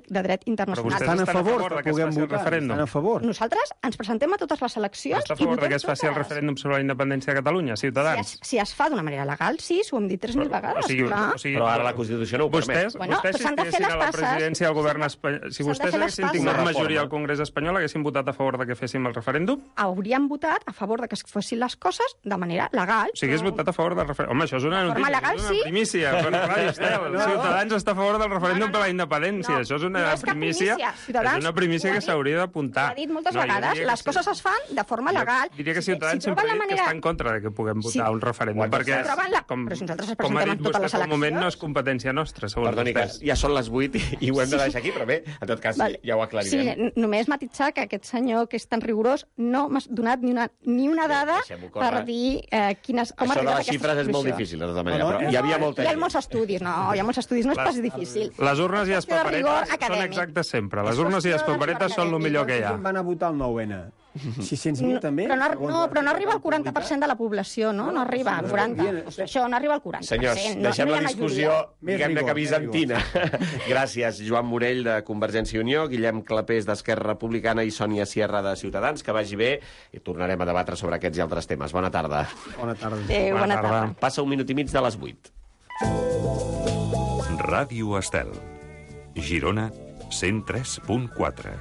de dret internacional. Però vostès estan a favor que puguem votar? Estan a favor? Nosaltres ens presentem a totes les eleccions està a favor que es faci el referèndum sobre la independència de Catalunya, Ciutadans? Si es fa d'una manera legal, sí, s'ho hem dit 3.000 vegades. Però ara la Constitució no ho permet. Vostès, si estiguessin a la presidència del govern espanyol, si vostès haguessin tingut majoria al Congrés espanyol, haguessin votat a favor de que féssim el referèndum? Hauríem votat a favor de que es fessin les coses de manera legal. O sigui, hagués votat a favor del referèndum. Home, això és una notícia, legal, és una primícia. Ciutadans està a favor del referèndum per la independència. Això és una primícia. És una primícia que s'hauria d'apuntar. Ho he dit moltes vegades. Les coses es fan de forma legal. Diria que Ciutadans sempre ha dit que està en contra de que puguem votar un referèndum. Perquè, com ha dit vostè fa un moment, no és competència nostra, segons vostès. Perdoni, que ja són les 8 i ho hem de deixar aquí, però bé, en tot cas, ja ho aclarirem. Sí, només matitxar que aquest senyor, que és tan rigorós, no m'ha donat ni una dada per dir quines... Això de les xifres és molt difícil, de tota manera, però hi havia molta gent. Hi ha molts estudis, no és pas difícil. Les urnes i les paperetes són exactes sempre. Les urnes i les paperetes són el millor que hi ha. Van a votar el 9N. 600.000 també? Però no arriba al 40% de la població, no? No arriba al 40%. Això no arriba al 40%. Senyors, deixem la discussió, diguem-ne que bizantina. Gràcies, Joan Morell, de Convergència i Unió, Guillem Clapés, d'Esquerra Republicana, i Sònia Sierra, de Ciutadans. Que vagi bé i tornarem a debatre sobre aquests i altres temes. Bona tarda. Bona tarda. Bona tarda. Passa 1 minut i mig de les 8. Ràdio Estel. Girona, 103.4.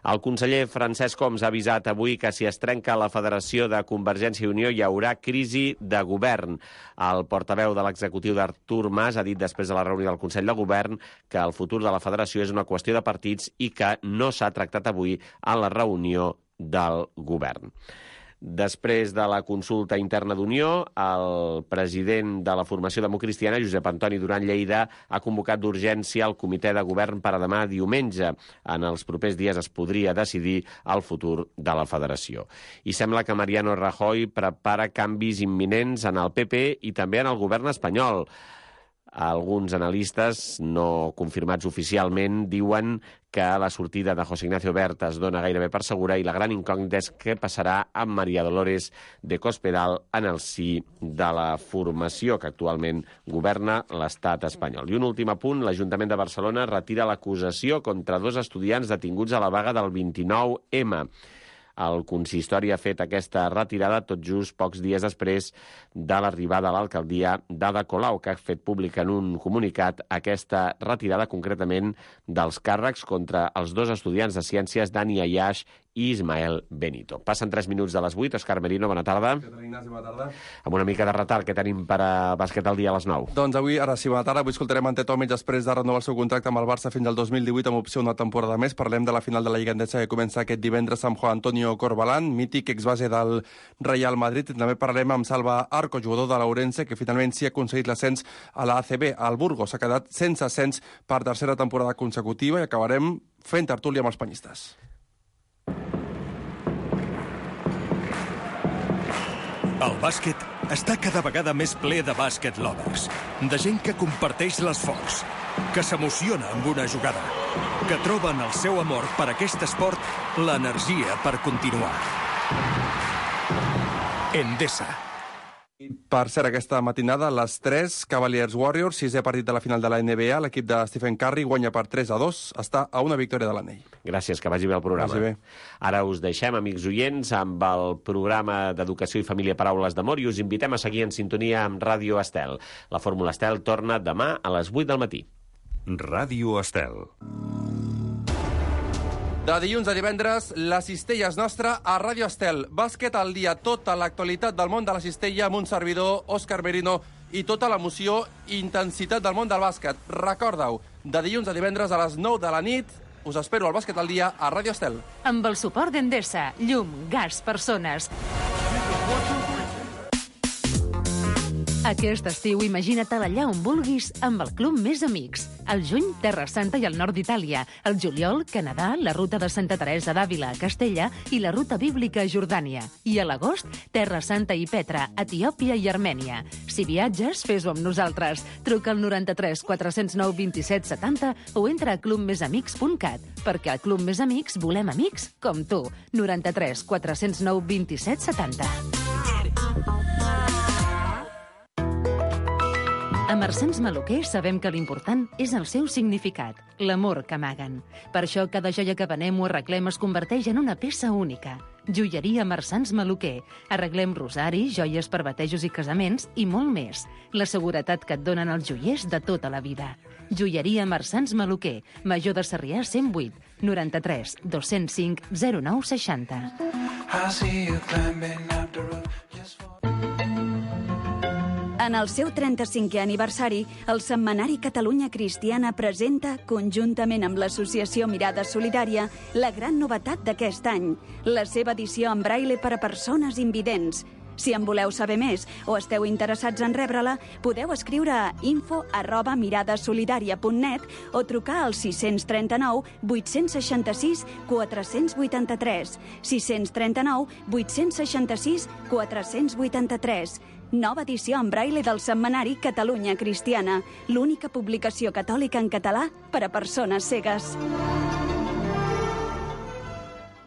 El conseller Francesc Homs ha avisat avui que si es trenca la Federació de Convergència i Unió hi haurà crisi de govern. El portaveu de l'executiu d'Artur Mas ha dit després de la reunió del Consell de Govern que el futur de la Federació és una qüestió de partits i que no s'ha tractat avui en la reunió del govern. Després de la consulta interna d'Unió, el president de la formació democristiana, Josep Antoni Duran Lleida, ha convocat d'urgència el comitè de govern per a demà diumenge. En els propers dies es podria decidir el futur de la federació. I sembla que Mariano Rajoy prepara canvis imminents en el PP i també en el govern espanyol. Alguns analistes, no confirmats oficialment, diuen que la sortida de José Ignacio Wert es dona gairebé per segura i la gran incògnita és què passarà amb María Dolores de Cospedal en el si de la formació que actualment governa l'estat espanyol. I un últim apunt, l'Ajuntament de Barcelona retira l'acusació contra 2 estudiants detinguts a la vaga del 29M. El consistori ha fet aquesta retirada tot just pocs dies després de l'arribada a l'alcaldia d'Ada Colau, que ha fet públic en un comunicat aquesta retirada concretament dels càrrecs contra els 2 estudiants de ciències, Dani Ayash i Ismael Benito. Passen 3 minuts de les 8. Òscar Merino, bona tarda. Què tal, Ignasi? Bona tarda. Amb una mica de retard que tenim per a bàsquet al dia a les 9. Doncs avui, ara sí, bona tarda. Avui escoltarem Ante Tomic després de renovar el seu contracte amb el Barça fins al 2018 amb opció una temporada més. Parlem de la final de la Lliga Endesa que comença aquest divendres amb Juan Antonio Corbalán, mític exbase del Real Madrid. I també parlarem amb Salva Arco, jugador de l'Ourense, que finalment sí ha aconseguit l'ascens a la ACB. El Burgos s'ha quedat sense ascens per tercera temporada consecutiva i acabarem fent tertúlia amb els penyistes. El bàsquet està cada vegada més ple de bàsquet lovers, de gent que comparteix l'esforç, que s'emociona amb una jugada, que troba en el seu amor per aquest esport l'energia per continuar. Endesa. Per cert, aquesta matinada, a les 3, Cavaliers Warriors, 6è partit de la final de la NBA, l'equip de Stephen Curry guanya per 3-2, està a una victòria de l'anell. Gràcies, que vagi bé el programa. Vagi bé. Ara us deixem, amics oients, amb el programa d'Educació i Família Paraules d'Amor i us invitem a seguir en sintonia amb Ràdio Estel. La Fórmula Estel torna demà a les 8 del matí. Ràdio Estel. De dilluns a divendres, la cistella és nostra a Ràdio Estel. Bàsquet al dia, tota l'actualitat del món de la cistella amb un servidor, Òscar Merino, i tota l'emoció i intensitat del món del bàsquet. Recorda-ho, de dilluns a divendres a les 9 de la nit, us espero al Bàsquet al dia a Ràdio Estel. Amb el suport d'Endesa, llum, gas, persones. Aquest estiu imagina't allà on vulguis amb el Club Més Amics. Al juny, Terra Santa i el nord d'Itàlia. Al juliol, Canadà, la ruta de Santa Teresa d'Àvila a Castella i la ruta bíblica a Jordània. I a l'agost, Terra Santa i Petra, Etiòpia i Armènia. Si viatges, fes-ho amb nosaltres. Truca al 93 409 27 70 o entra a clubmesamics.cat, perquè al Club Més Amics volem amics com tu. 93 409 27 70. A Marsans Maluquer sabem que l'important és el seu significat, l'amor que amaguen. Per això cada joia que venem o arreglem es converteix en una peça única. Joieria Marsans Maluquer. Arreglem rosaris, joies per batejos i casaments i molt més. La seguretat que et donen els joiers de tota la vida. Joieria Marsans Maluquer. Major de Sarrià 108 93 205 0960. En el seu 35è aniversari, el Setmanari Catalunya Cristiana presenta, conjuntament amb l'Associació Mirada Solidària, la gran novetat d'aquest any, la seva edició en braille per a persones invidents. Si en voleu saber més o esteu interessats en rebre-la, podeu escriure a info@miradasolidària.net o trucar al 639 866 483. 639 866 483. Nova edició en braille del Setmanari Catalunya Cristiana, l'única publicació catòlica en català per a persones cegues.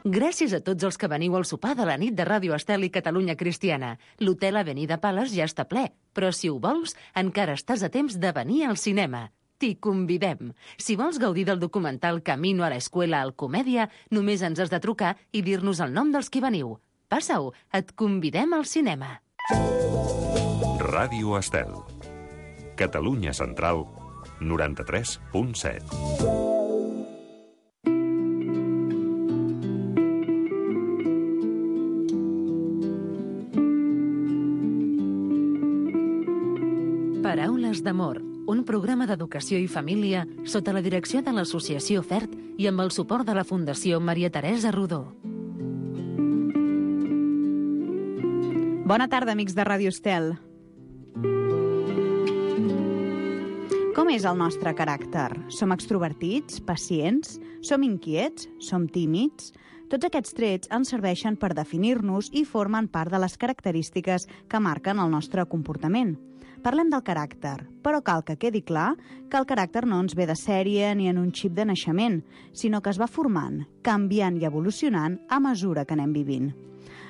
Gràcies a tots els que veniu al sopar de la nit de Ràdio Estel i Catalunya Cristiana. L'hotel Avenida Pales ja està ple, però si ho vols, encara estàs a temps de venir al cinema. T'hi convidem. Si vols gaudir del documental Camino a la Escuela al Comèdia, només ens has de trucar i dir-nos el nom dels que veniu. Passa-ho, et convidem al cinema. Ràdio Estel. Catalunya Central, 93.7. Paraules d'amor, un programa d'educació i família sota la direcció de l'Associació FERT i amb el suport de la Fundació Maria Teresa Rodó. Bona tarda, amics de Ràdio Estel. Com és el nostre caràcter? Som extrovertits, pacients? Som inquiets? Som tímids? Tots aquests trets ens serveixen per definir-nos i formen part de les característiques que marquen el nostre comportament. Parlem del caràcter, però cal que quedi clar que el caràcter no ens ve de sèrie ni en un xip de naixement, sinó que es va formant, canviant i evolucionant a mesura que anem vivint.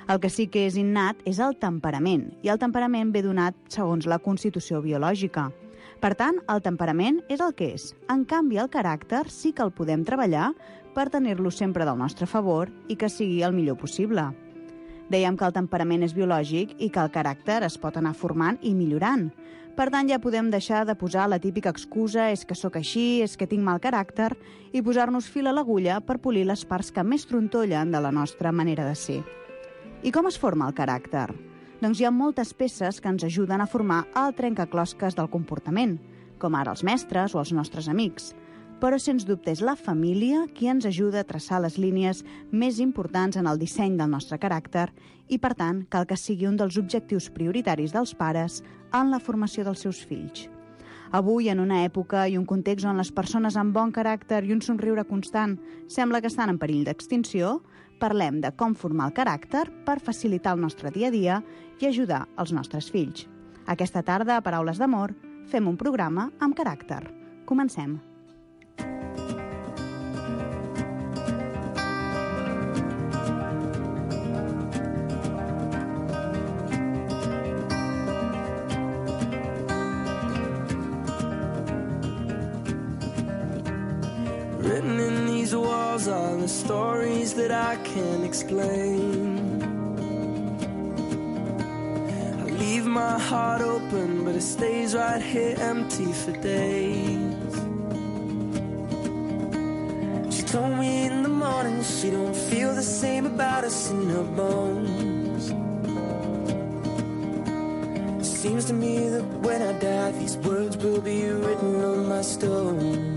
El que sí que és innat és el temperament, i el temperament ve donat segons la constitució biològica. Per tant, el temperament és el que és. En canvi, el caràcter sí que el podem treballar per tenir-lo sempre del nostre favor i que sigui el millor possible. Dèiem que el temperament és biològic i que el caràcter es pot anar formant i millorant. Per tant, ja podem deixar de posar la típica excusa és que sóc així, és que tinc mal caràcter, i posar-nos fil a l'agulla per polir les parts que més trontollen de la nostra manera de ser. I com es forma el caràcter? Doncs hi ha moltes peces que ens ajuden a formar el trencaclosques del comportament, com ara els mestres o els nostres amics. Però, sens dubte, és la família qui ens ajuda a traçar les línies més importants en el disseny del nostre caràcter i, per tant, cal que sigui un dels objectius prioritaris dels pares en la formació dels seus fills. Avui, en una època i un context on les persones amb bon caràcter i un somriure constant sembla que estan en perill d'extinció, parlem de com formar el caràcter per facilitar el nostre dia a dia i ajudar els nostres fills. Aquesta tarda, a Paraules d'Amor, fem un programa amb caràcter. Comencem. Written in these walls are the stories that I can't explain. I leave my heart open, but it stays right here empty for days. She told me in the morning she don't feel the same about us in her bones. It seems to me that when I die, these words will be written on my stone.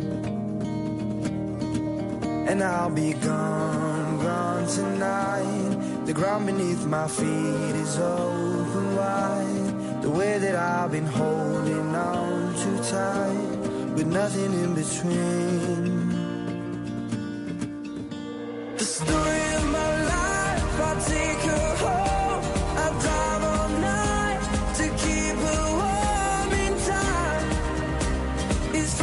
And I'll be gone, gone tonight. The ground beneath my feet is open wide. The way that I've been holding on too tight, with nothing in between. The story of my life, I'll take her home. I'll drive all night to keep her warm in time. It's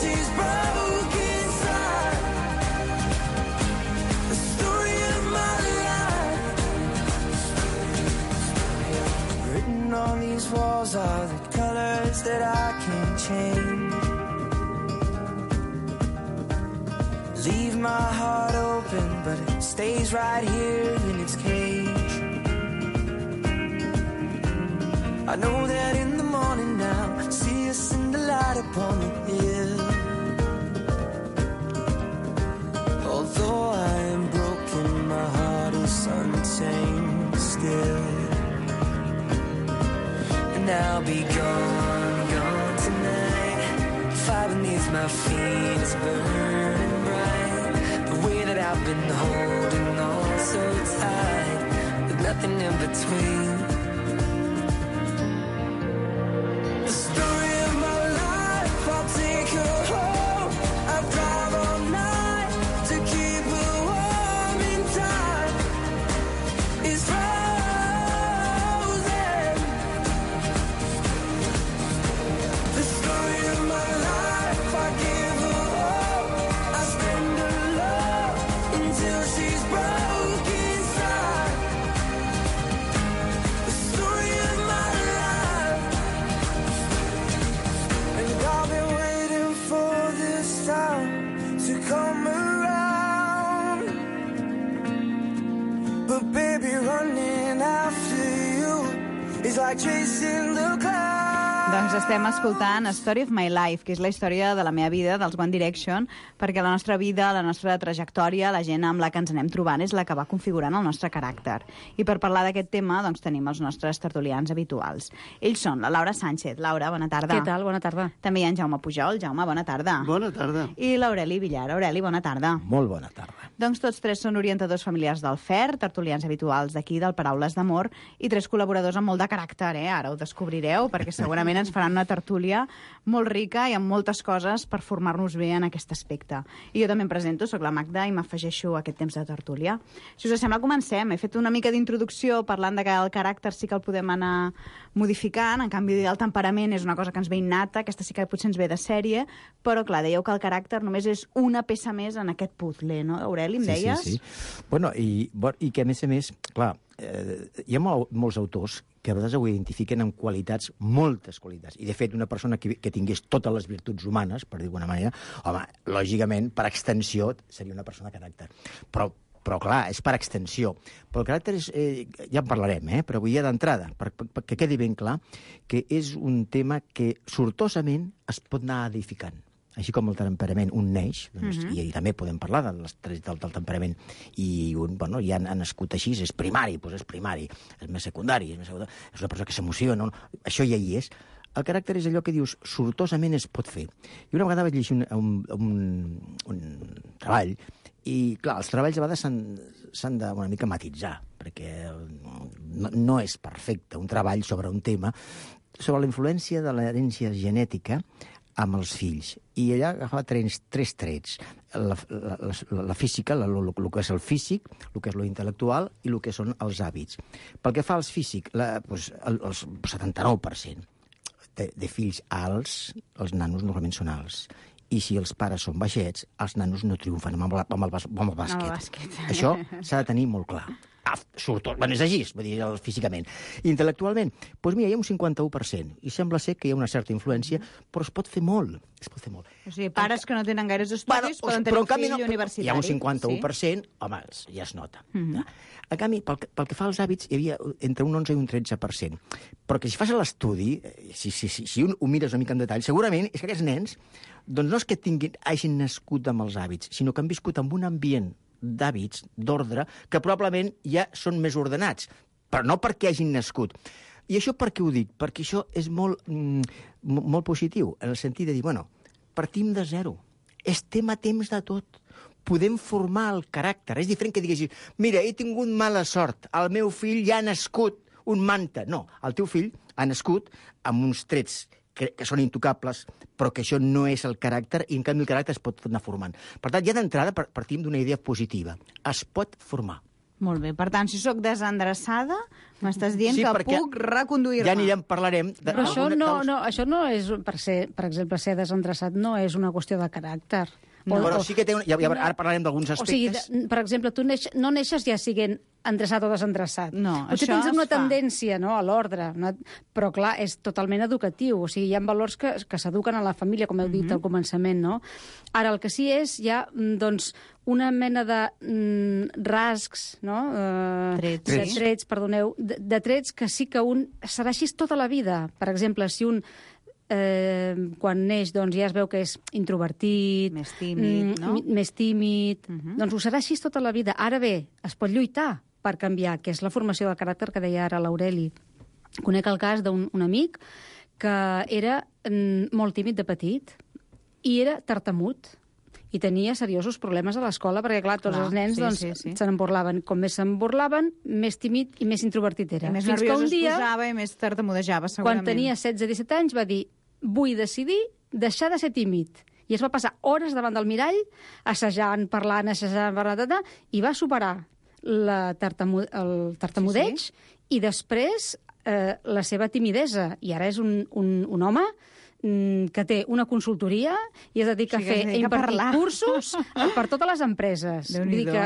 she's broken. my heart open, but it stays right here in its cage. I know that in the morning now, see us in the light upon the hill. Although I am broken, my heart is untamed still. And I'll be gone, gone tonight. Fire beneath my feet is burning bright. The way that I've been holding on so tight, with nothing in between. The story of my life, I'll take her home. I'll drive all night to keep her warm in time. It's frozen. The story of my life, I give her all. I spend her love until she's broke inside. The story of my life. And I've been waiting for this time to come around. But baby, running after you is like chasing the clouds. Doncs estem escoltant A Story of My Life, que és la història de la meva vida, dels One Direction, perquè la nostra vida, la nostra trajectòria, la gent amb la que ens anem trobant és la que va configurant el nostre caràcter. I per parlar d'aquest tema, doncs tenim els nostres tertulians habituals. Ells són la Laura Sánchez. Laura, bona tarda. Què tal? Bona tarda. També hi ha en Jaume Pujol. Jaume, bona tarda. Bona tarda. I l'Aureli Villar. Aureli, bona tarda. Molt bona tarda. Doncs tots tres són orientadors familiars del FER, tertulians habituals d'aquí, del Paraules d'Amor, i tres col·laboradors amb molt de caràcter, Ara ho descobrireu, perquè segurament ens faran una tertúlia molt rica i amb moltes coses per formar-nos bé en aquest aspecte. I jo també em presento, soc la Magda, i m'afegeixo a aquest temps de tertúlia. Si us sembla, comencem. He fet una mica d'introducció parlant de que el caràcter sí que el podem anar modificant, en canvi el temperament és una cosa que ens ve innata, aquesta sí que potser ens ve de sèrie, però clar, dèieu que el caràcter només és una peça més en aquest puzzle, no, Aureli, em deies? Sí. Bueno, i que a més, clar, hi ha molts autors que a vegades ho identifiquen amb qualitats, moltes qualitats. I, de fet, una persona que tingués totes les virtuts humanes, per dir d'alguna manera, home, lògicament, per extensió, seria una persona de caràcter. Però clar, és per extensió. Però el caràcter és... ja en parlarem, però vull dir d'entrada, perquè quedi ben clar que és un tema que sortosament es pot anar edificant. Així com el temperament, un neix, doncs, i també podem parlar del temperament, i ja han nascut així, és primari, doncs és primari, és més secundari, és una persona que s'emociona, això ja hi és. El caràcter és allò que dius, sortosament es pot fer. I una vegada vaig llegir un treball, i clar, els treballs a vegades s'han de una mica matitzar, perquè no és perfecte un treball sobre un tema, sobre la influència de l'herència genètica amb els fills. I allà agafava tres trets. La física, el que és el físic, el que és lo intel·lectual i el que són els hàbits. Pel que fa als físic, el 79% de fills alts, els nanos normalment són alts. I si els pares són baixets, els nanos no triomfen amb el bàsquet. Això s'ha de tenir molt clar. És així, vull dir, físicament. Intel·lectualment, doncs mira, hi ha un 51%, i sembla ser que hi ha una certa influència, però es pot fer molt. O sigui, pares que no tenen gaires estudis poden tenir un fill universitari. Hi ha un 51%, home, ja es nota. En canvi, pel que fa als hàbits, hi havia entre un 11 i un 13%. Però que si fas l'estudi, si un ho mires una mica en detall, segurament és que aquests nens, doncs no és que hagin nascut amb els hàbits, sinó que han viscut en un ambient d'hàbits, d'ordre, que probablement ja són més ordenats, però no perquè hagin nascut. I això per què ho dic? Perquè això és molt positiu, en el sentit de dir, partim de zero, estem a temps de tot, podem formar el caràcter. És diferent que diguessis, mira, he tingut mala sort, el meu fill ja ha nascut un manta. No, el teu fill ha nascut amb uns trets que són intocables, però que això no és el caràcter, i en canvi el caràcter es pot anar formant. Per tant, ja d'entrada partim d'una idea positiva. Es pot formar. Molt bé. Per tant, si sóc desendreçada, m'estàs dient que puc reconduir-me. Ja parlarem... Però això no és, per exemple, ser desendreçat no és una qüestió de caràcter. Però sí que té... Ara parlarem d'alguns aspectes. O sigui, per exemple, tu no neixes ja siguent endreçat o desendreçat. No, potser tens una tendència, no?, a l'ordre, però clar, és totalment educatiu. O sigui, hi ha valors que s'eduquen a la família, com heu dit al començament, no? Ara, el que sí és, hi ha, doncs, una mena de rascs, no? Trets, perdoneu, de trets que sí que un serà així tota la vida. Per exemple, si un quan neix doncs, ja es veu que és introvertit, més tímid, no? Doncs ho serà així tota la vida. Ara bé, es pot lluitar per canviar, que és la formació del caràcter que deia ara l'Aureli. Conec el cas d'un amic que era molt tímid de petit i era tartamut i tenia seriosos problemes a l'escola perquè, clar, tots els nens se n'en burlaven. Com més se'n burlaven, més tímid i més introvertit era. I més nerviós es posava i més tartamudejava, segurament. Quan tenia 16-17 anys va dir: vull decidir deixar de ser tímid. I es va passar hores davant del mirall, assajant, parlant, i va superar el tartamudeig i després la seva timidesa. I ara és un home que té una consultoria i es dedica a impartir cursos per totes les empreses. Vull dir que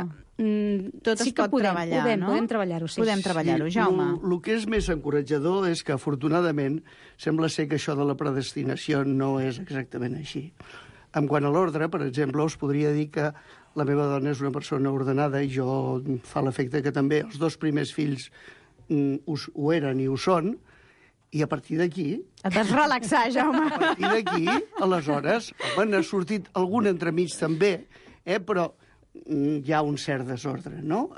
tot es pot treballar, no? Podem treballar-ho, sí. Podem treballar-ho, Jaume. El que és més encoratjador és que, afortunadament, sembla ser que això de la predestinació no és exactament així. En quant a l'ordre, per exemple, us podria dir que la meva dona és una persona ordenada i jo fa l'efecte que també els 2 primers fills ho eren i ho són, i a partir d'aquí... Et has relaxar, Jaume. A partir d'aquí, aleshores, n'ha sortit algun entremig també, però hi ha un cert desordre, no?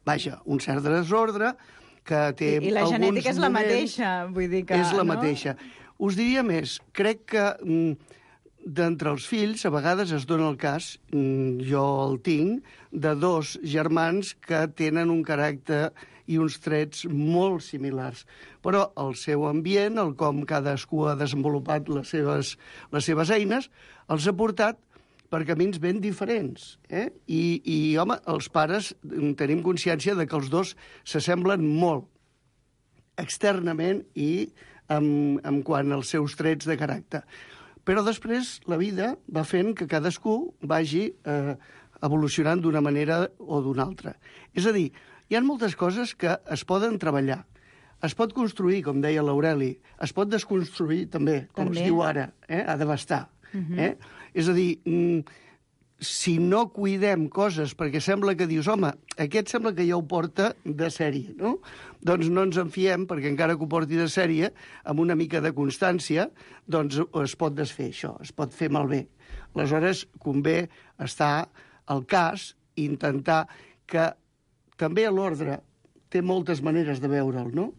Vaja, un cert desordre que té alguns moments... I la genètica és la mateixa, vull dir que... És la mateixa. Us diria més, crec que d'entre els fills a vegades es dona el cas, jo el tinc, de 2 germans que tenen un caràcter i uns trets molt similars. Però el seu ambient, el com cadascú ha desenvolupat les seves eines, els ha portat per camins ben diferents. I, home, els pares tenim consciència de que els 2 s'assemblen molt externament i en quant als seus trets de caràcter. Però després la vida va fent que cadascú vagi evolucionant d'una manera o d'una altra. És a dir, hi ha moltes coses que es poden treballar. Es pot construir, com deia l'Aureli, es pot desconstruir també, com es diu ara, a devastar. És a dir, si no cuidem coses, perquè sembla que dius, home, aquest sembla que ja ho porta de sèrie, no? Doncs no ens en fiem, perquè encara que ho porti de sèrie, amb una mica de constància, doncs es pot desfer això, es pot fer malbé. Aleshores, convé estar al cas i intentar que també l'ordre té moltes maneres de veure'l, no?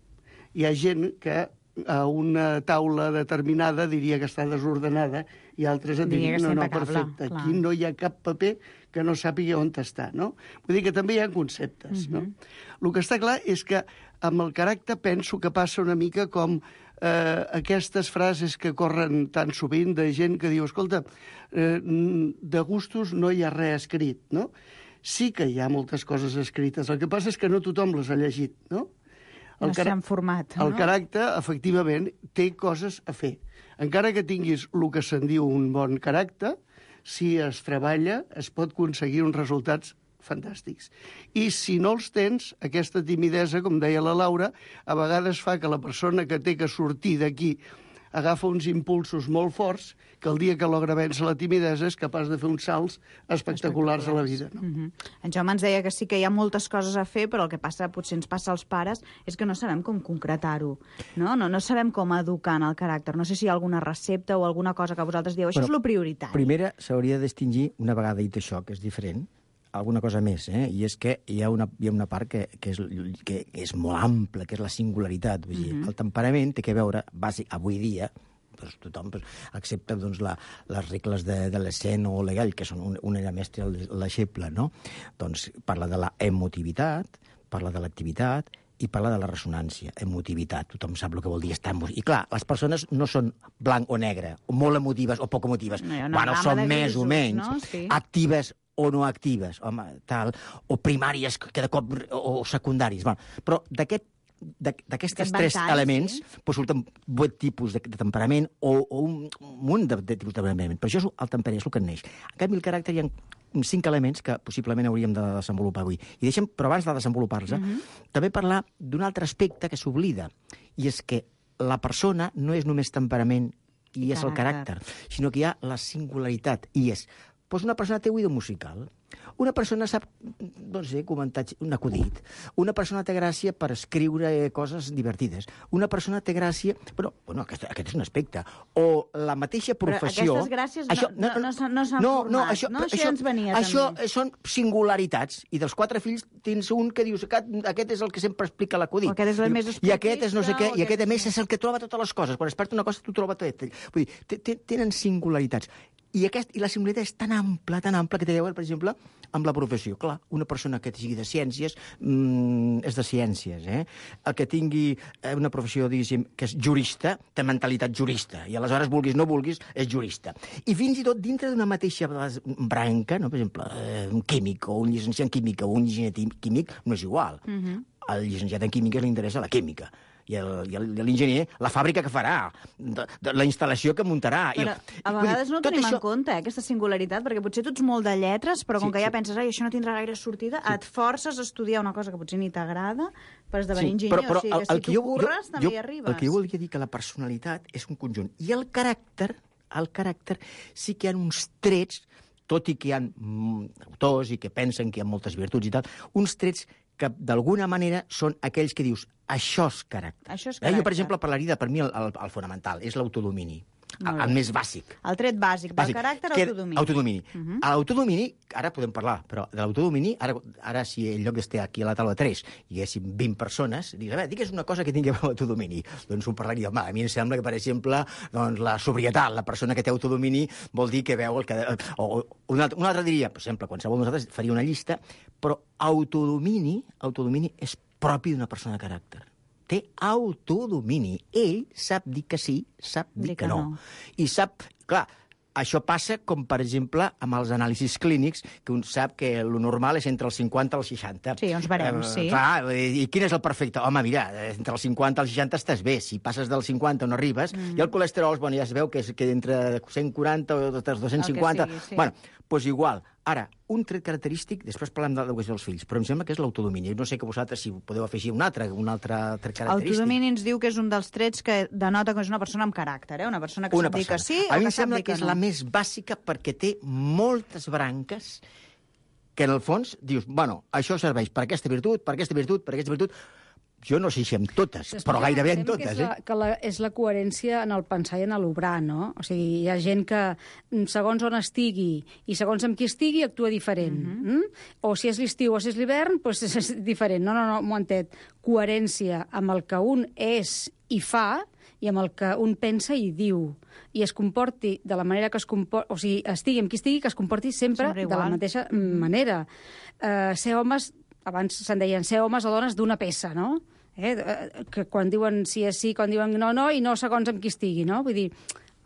Hi ha gent que a una taula determinada diria que està desordenada i altres et dirien, no, perfecte, aquí no hi ha cap paper que no sàpiga on està, no? Vull dir que també hi ha conceptes, no? El que està clar és que amb el caràcter penso que passa una mica com aquestes frases que corren tan sovint de gent que diu, escolta, de gustos no hi ha res escrit, no? Sí que hi ha moltes coses escrites, el que passa és que no tothom les ha llegit, no? No s'han format, no? El caràcter, efectivament, té coses a fer. Encara que tinguis el que se'n diu un bon caràcter, si es treballa, es pot aconseguir uns resultats fantàstics. I si no els tens, aquesta timidesa, com deia la Laura, a vegades fa que la persona que té que sortir d'aquí agafa uns impulsos molt forts que el dia que logra vèncer la timidesa és capaç de fer uns salts espectaculars a la vida. No? En Jaume ens deia que sí que hi ha moltes coses a fer, però el que passa, potser ens passa als pares, és que no sabem com concretar-ho. No sabem com educar en el caràcter. No sé si hi ha alguna recepta o alguna cosa que vosaltres dieu, això és lo prioritari. Primera, s'hauria de distingir, una vegada dit això, que és diferent, alguna cosa més, i és que hi ha una part que és molt ampla, que és la singularitat. Vull dir, el temperament té que veure, bàsic, avui dia, doncs tothom accepta doncs, les regles de l'Essèn o l'Hegel, que són una era mestre l'exemple, no? Doncs parla de la emotivitat, parla de l'activitat i parla de la ressonància, emotivitat. Tothom sap el que vol dir estar emotiu. I clar, les persones no són blanc o negre, o molt emotives o poc emotives. Bueno, són més o menys, no? Sí. Actives o no actives, home, tal, o primàries que de cop, o secundàries. Bueno, però d'aquest d'aquestes tres elements surten 8 tipus de temperament o un munt de tipus de temperament. Però això és el temperament, és el que neix. En canvi, el caràcter hi ha 5 elements que possiblement hauríem de desenvolupar avui. I deixem, però abans de desenvolupar-los, també parlar d'un altre aspecte que s'oblida, i és que la persona no és només temperament i és el caràcter, sinó que hi ha la singularitat, i és, doncs una persona té oïdo musical, una persona sap, no sé, comentar un acudit, una persona té gràcia per escriure coses divertides, una persona té gràcia... Bueno, aquest és un aspecte. O la mateixa professió... Però aquestes gràcies no s'han format, això ja ens venia també. Això són singularitats, i dels 4 fills tens un que dius aquest és el que sempre explica l'acudit. Aquest és el més esportista... I aquest és no sé què, i aquest a més és el que troba totes les coses. Quan es perd una cosa, tu troba tot. Vull dir, tenen singularitats. I la singularitat és tan ampla, que té a veure, per exemple, amb la professió. Clar, una persona que sigui de ciències és de ciències, El que tingui una professió, diguéssim, que és jurista, té mentalitat jurista, i aleshores, vulguis no vulguis, és jurista. I fins i tot dintre d'una mateixa branca, no? Per exemple, un químic, o un llicenciat en química, o un enginyer químic, no és igual. Al llicenciat en química li interessa la química. I l'enginyer, la fàbrica que farà, la instal·lació que muntarà. Però a vegades no tenim en compte aquesta singularitat, perquè potser tu ets molt de lletres, però com que ja penses, això no tindrà gaire sortida, et forces a estudiar una cosa que potser ni t'agrada per esdevenir enginyer. Però o sigui, que si tu curres, també hi arribes. El que jo volia dir que la personalitat és un conjunt. I el caràcter sí que hi ha uns trets, tot i que hi ha autors i que pensen que hi ha moltes virtuts i tal, uns trets que d'alguna manera són aquells que dius això és caràcter. Jo, per exemple, parlaria per mi el fonamental, és l'autodomini. El més bàsic. El tret bàsic del caràcter, autodomini. Autodomini. A l'autodomini, ara podem parlar, però de l'autodomini, ara si en lloc d'estar aquí a la taula 3 hi haguéssim 20 persones, digues una cosa que tingui a veure amb l'autodomini. Doncs ho parlaria, a mi em sembla que, per exemple, la sobrietat, la persona que té autodomini, vol dir que veu el que... Un altre diria, per exemple, qualsevol de nosaltres faria una llista, però autodomini és propi d'una persona de caràcter. Té autodomini. Ell sap dir que sí, sap dir que no. I sap... Clar, això passa com, per exemple, amb els anàlisis clínics, que un sap que el normal és entre els 50 i els 60. Sí, uns barems, sí. Clar, i quin és el perfecte? Home, mira, entre els 50 i els 60 estàs bé. Si passes del 50 no arribes. I el colesterol, ja es veu que entre 140 o 250... Bueno, doncs igual. Ara, un tret característic, després parlem de l'educació dels fills, però em sembla que és l'autodomini. No sé que vosaltres si podeu afegir un altre tret característic. Autodomini ens diu que és un dels trets que denota que és una persona amb caràcter, una persona que sap dir que sí o que sap dir que no. A mi em sembla que és la més bàsica perquè té moltes branques que, en el fons, dius, bueno, això serveix per aquesta virtut, per aquesta virtut, per aquesta virtut... Jo no sé si amb totes, però gairebé en totes. És la coherència en el pensar i en l'obrar, no? O sigui, hi ha gent que, segons on estigui i segons amb qui estigui, actua diferent. O si és l'estiu o si és l'hivern, doncs és diferent. No, m'ho entenc. Coherència amb el que un és i fa i amb el que un pensa i diu. I es comporti de la manera que es comporti... O sigui, estigui amb qui estigui, que es comporti sempre de la mateixa manera. Ser homes... Abans se'n deien ser homes o dones d'una peça, no? Que quan diuen sí és sí, quan diuen no, i no segons amb qui estigui, no? Vull dir,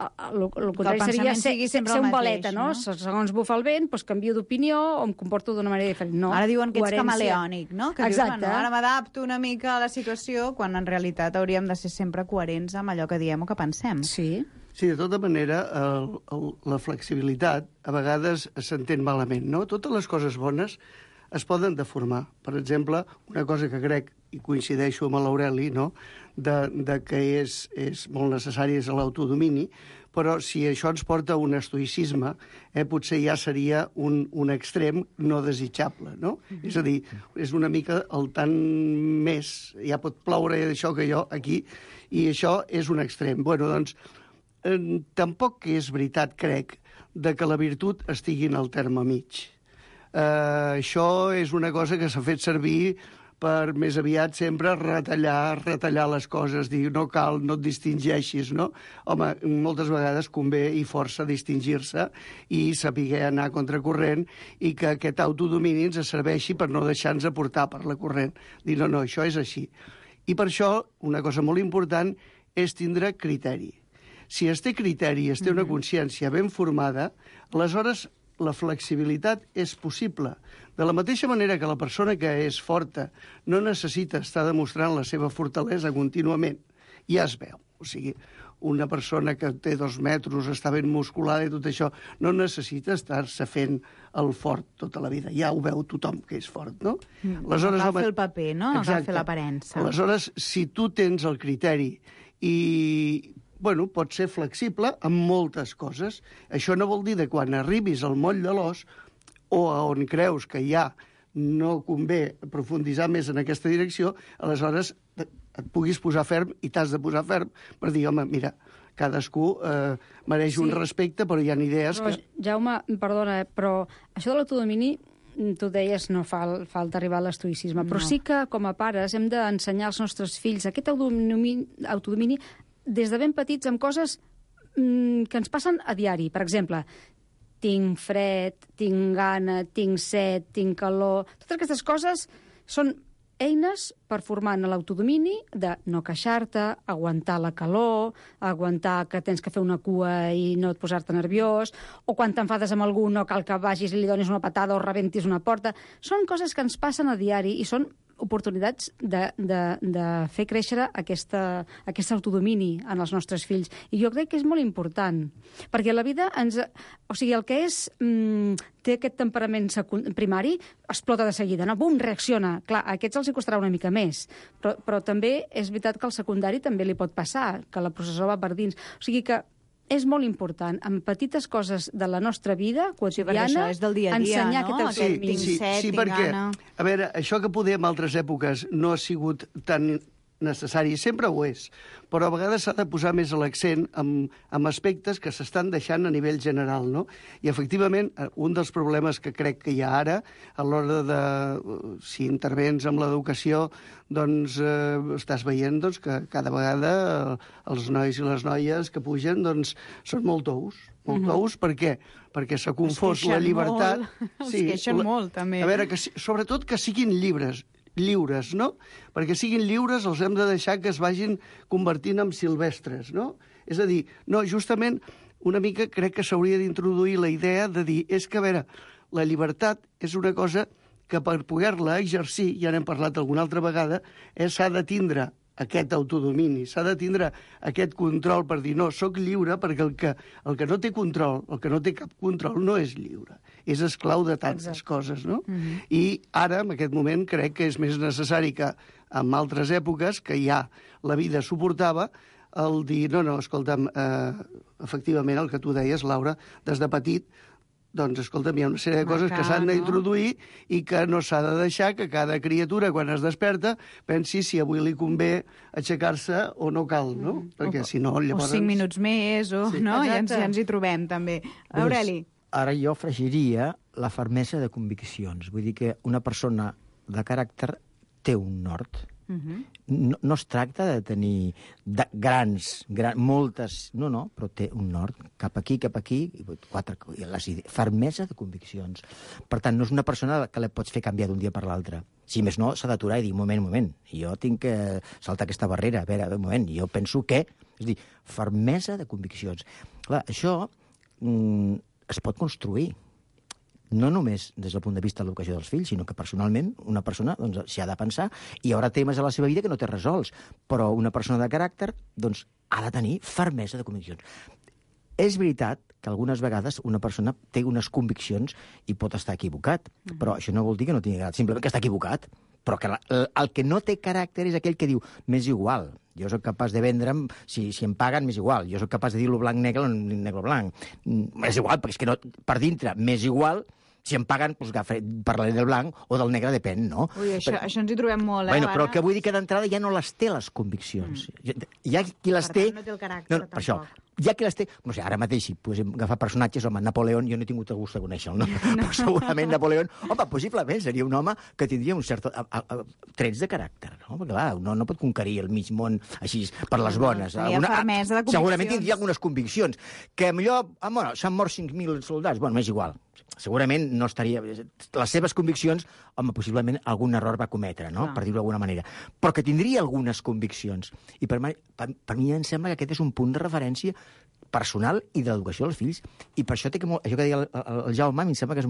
el contrari seria ser un baleta, no? Segons bufa el vent, doncs canvio d'opinió o em comporto d'una manera diferent. No, ara diuen que ets camaleònic, no? Que exacte. Dius, ara m'adapto una mica a la situació, quan en realitat hauríem de ser sempre coherents amb allò que diem o que pensem. Sí. Sí, de tota manera, la flexibilitat a vegades s'entén malament, no? Totes les coses bones es poden deformar. Per exemple, una cosa que crec, i coincideixo amb l'Aureli, no? de que és molt necessari és l'autodomini, però si això ens porta a un estoïcisme, potser ja seria un extrem no desitjable, no? És a dir, és una mica el tant més, ja pot ploure això que jo aquí, i això és un extrem. Bueno, doncs, tampoc és veritat, crec, de que la virtut estigui en el terme mig. Això és una cosa que s'ha fet servir per més aviat sempre retallar les coses, dir no cal, no et distingeixis, no? Home, moltes vegades convé i força distingir-se i saber anar contracorrent i que aquest autodomini ens serveixi per no deixar-nos portar per la corrent. Dir no, això és així. I per això, una cosa molt important és tindre criteri. Si es té criteri, es té una consciència ben formada, aleshores la flexibilitat és possible. De la mateixa manera que la persona que és forta no necessita estar demostrant la seva fortalesa contínuament, ja es veu. O sigui, una persona que té 2 metres, està ben musculada i tot això, no necessita estar-se fent el fort tota la vida. Ja ho veu tothom que és fort, no? Aleshores, cal fer el paper, no? No cal fer l'aparença. Aleshores, si tu tens el criteri i pots ser flexible en moltes coses, això no vol dir que quan arribis al moll de l'os o on creus que ja no convé profunditzar més en aquesta direcció, aleshores et puguis posar ferm i t'has de posar ferm per dir, home, mira, cadascú mereix un respecte, però hi ha idees que... Jaume, perdona, però això de l'autodomini, tu deies, no falta arribar a l'estoïcisme, però sí que, com a pares, hem d'ensenyar als nostres fills aquest autodomini des de ben petits amb coses que ens passen a diari. Per exemple, tinc fred, tinc gana, tinc set, tinc calor... Totes aquestes coses són eines per formar en l'autodomini de no queixar-te, aguantar la calor, aguantar que tens que fer una cua i no et posar-te nerviós, o quan t'enfades amb algú no cal que vagis i li donis una patada o rebentis una porta. Són coses que ens passen a diari i són oportunitats de fer créixer aquest autodomini en els nostres fills. I jo crec que és molt important, perquè la vida o sigui, el que té aquest temperament primari explota de seguida, no? Bum, reacciona. Clar, a aquests els hi costarà una mica més, però també és veritat que al secundari també li pot passar, que la processó va per dins. O sigui que és molt important, amb petites coses de la nostra vida quotidiana, això és del dia a dia, ensenyar no? aquest autodomini. Sí, perquè, a veure, això que poder en altres èpoques no ha sigut tan necessari, sempre ho és, però a vegades s'ha de posar més l'accent en aspectes que s'estan deixant a nivell general, no? I, efectivament, un dels problemes que crec que hi ha ara, a l'hora de, si intervens amb l'educació, doncs estàs veient que cada vegada els nois i les noies que pugen doncs són molt tous. Molt tous, per què? Perquè s'ha confós la llibertat... Es queixen molt, també. A veure, sobretot que siguin lliures, no? Perquè siguin lliures els hem de deixar que es vagin convertint en silvestres, no? És a dir, no, justament una mica crec que s'hauria d'introduir la idea de dir, és que, a veure, la llibertat és una cosa que per poder-la exercir, ja n'hem parlat alguna altra vegada, s'ha de tindre aquest autodomini, s'ha de tindre aquest control per dir, no, sóc lliure, perquè el que no té control, el que no té cap control, no és lliure. És esclau de tantes coses, no? I ara, en aquest moment, crec que és més necessari que en altres èpoques, que ja la vida suportava, el dir, no, escolta'm, efectivament, el que tu deies, Laura, des de petit, doncs, escolta'm, hi ha una sèrie de coses que s'han d'introduir i que no s'ha de deixar que cada criatura, quan es desperta, pensi si avui li convé aixecar-se o no cal, no? Perquè si no, llavors... O 5 minuts més, no? Ja ens hi trobem, també. Aureli. Ara jo afegiria la fermesa de conviccions. Vull dir que una persona de caràcter té un nord. No es tracta de tenir moltes... No, però té un nord. Cap aquí, fermesa de conviccions. Per tant, no és una persona que la pots fer canviar d'un dia per l'altre. Si més no, s'ha d'aturar i dir, moment, jo tinc que saltar aquesta barrera. A veure, un moment, jo penso que... És a dir, fermesa de conviccions. Clar, això es pot construir. No només des del punt de vista de l'educació dels fills, sinó que personalment una persona s'hi ha de pensar i hi haurà temes a la seva vida que no té resolts, però una persona de caràcter ha de tenir fermesa de conviccions. És veritat que algunes vegades una persona té unes conviccions i pot estar equivocat, però això no vol dir que no tingui caràcter, simplement que està equivocat. Però que el que no té caràcter és aquell que diu m'és igual, jo sóc capaç de vendre'm, si em paguen, m'és igual, jo sóc capaç de dir-lo blanc-negre o negre-blanc. M'és igual, perquè és que no, per dintre m'és igual. Si em paguen, doncs parlaré del blanc o del negre, depèn, no? Ui, això ens hi trobem molt, Bueno, però el que vull dir que d'entrada ja no les té, les conviccions. Hi ha qui les té... Per tant, no té el caràcter, tampoc. Per això, hi ha qui les té... No sé, ara mateix, si posem agafar personatges, home, Napoleón, jo no he tingut el gust de conèixer-lo, no? Però segurament Napoleón, home, possiblement seria un home que tindria un cert trets de caràcter, no? Perquè, clar, no pot conquerir el mig món així per les bones. Fermesa de conviccions. Segurament tindria algunes conviccions. Que millor, bueno, s'han mort 5.000 soldats, bueno, m'és igual. Segurament no estaria... Les seves conviccions, home, possiblement algun error va cometre, no? Per dir-ho d'alguna manera. Però que tindria algunes conviccions. I per mi em sembla que aquest és un punt de referència personal i de l'educació dels fills. I per això això que deia el Jaume, em sembla que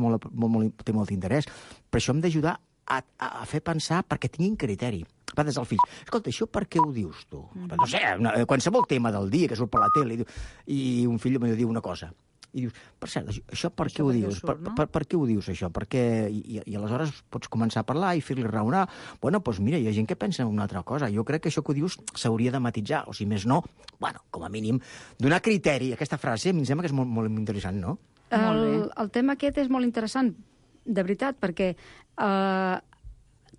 té molt interès. Per això hem d'ajudar a fer pensar perquè tinguin criteri. Des del fill, escolta, això per què ho dius tu? No sé, qualsevol tema del dia que surt per la tele i un fill em diu una cosa. I dius, per cert, això per què ho dius? Per què ho dius, això? I aleshores pots començar a parlar i fer-li raonar. Bueno, doncs mira, hi ha gent que pensa en una altra cosa. Jo crec que això que ho dius s'hauria de matitzar, o si més no, bueno, com a mínim, donar criteri. Aquesta frase a mi em sembla que és molt interessant, no? El tema aquest és molt interessant, de veritat, perquè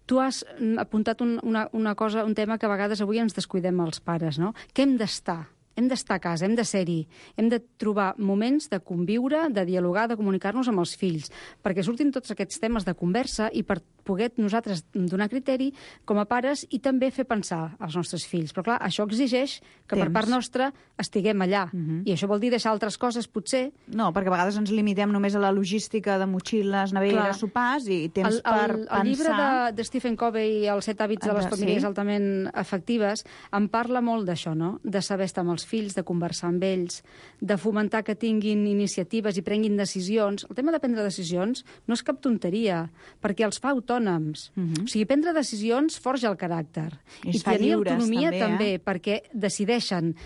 tu has apuntat una cosa, un tema que a vegades avui ens descuidem els pares, no? Que hem d'estar. Hem d'estar a casa, hem de ser-hi, hem de trobar moments de conviure, de dialogar, de comunicar-nos amb els fills, perquè surtin tots aquests temes de conversa i per poder nosaltres donar criteri com a pares i també fer pensar als nostres fills. Però clar, això exigeix que per part nostra estiguem allà. I això vol dir deixar altres coses, potser. No, perquè a vegades ens limitem només a la logística de motxilles, neveres, sopars i temps per pensar... El llibre de Stephen Covey, Els 7 hàbits de les famílies altament efectives, en parla molt d'això, no? De saber estar amb els fills, de conversar amb ells, de fomentar que tinguin iniciatives i prenguin decisions. El tema de prendre decisions no és cap tonteria, perquè els fa autònoms. O sigui, prendre decisions forja el caràcter. I tenir autonomia també, perquè decideixen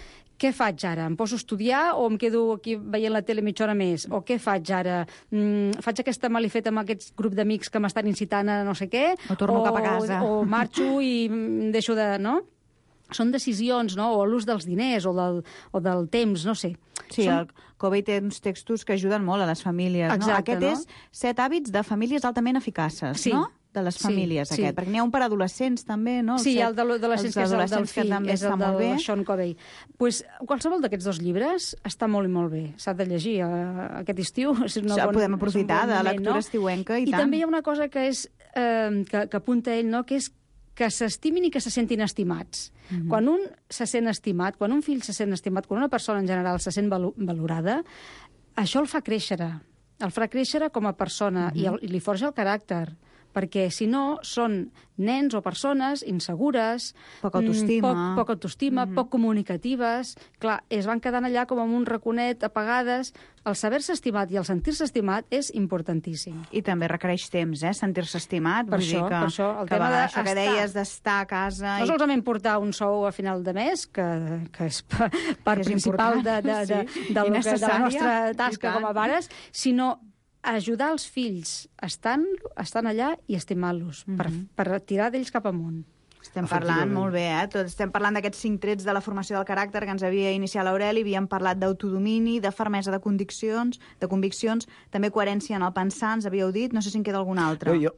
què faig ara? Em poso a estudiar o em quedo aquí veient la tele mitja hora més? O què faig ara? Faig aquesta malifeta amb aquest grup d'amics que m'estan incitant a no sé què? O torno cap a casa. O marxo i deixo de... no? Són decisions, no? O l'ús dels diners o del temps, no sé. Sí, el Covey té uns textos que ajuden molt a les famílies. Exacte, no? Aquest és 7 hàbits de famílies altament eficaces, no? De les famílies, aquest. Perquè n'hi ha un per adolescents, també, no? Sí, el d'adolescents, que és el del fill, és el del Sean Covey. Pues, qualsevol d'aquests dos llibres està molt i molt bé. S'ha de llegir aquest estiu. Podem aprofitar de lectura estiuenca i tant. I també hi ha una cosa que apunta ell, no? Que és que s'estimin i que se sentin estimats. Quan un se sent estimat, quan un fill se sent estimat, quan una persona en general se sent valorada, això el fa créixer. El fa créixer com a persona i li forja el caràcter. Perquè, si no, són nens o persones insegures, poc autoestima, poc comunicatives. Clar, es van quedant allà com amb un raconet, apagades. El saber-se estimat i el sentir-se estimat és importantíssim. I també requereix temps, sentir-se estimat. Per això, el tema d'això que deies d'estar a casa... No solament portar un sou a final de mes, que és part principal de la nostra tasca com a pares, sinó ajudar els fills estant allà i estimant-los, per tirar d'ells cap amunt. Estem parlant molt bé, estem parlant d'aquests 5 trets de la formació del caràcter que ens havia iniciat l'Aureli, havíem parlat d'autodomini, de fermesa de conviccions, també coherència en el pensar, ens havíeu dit, no sé si en queda algun altre. Jo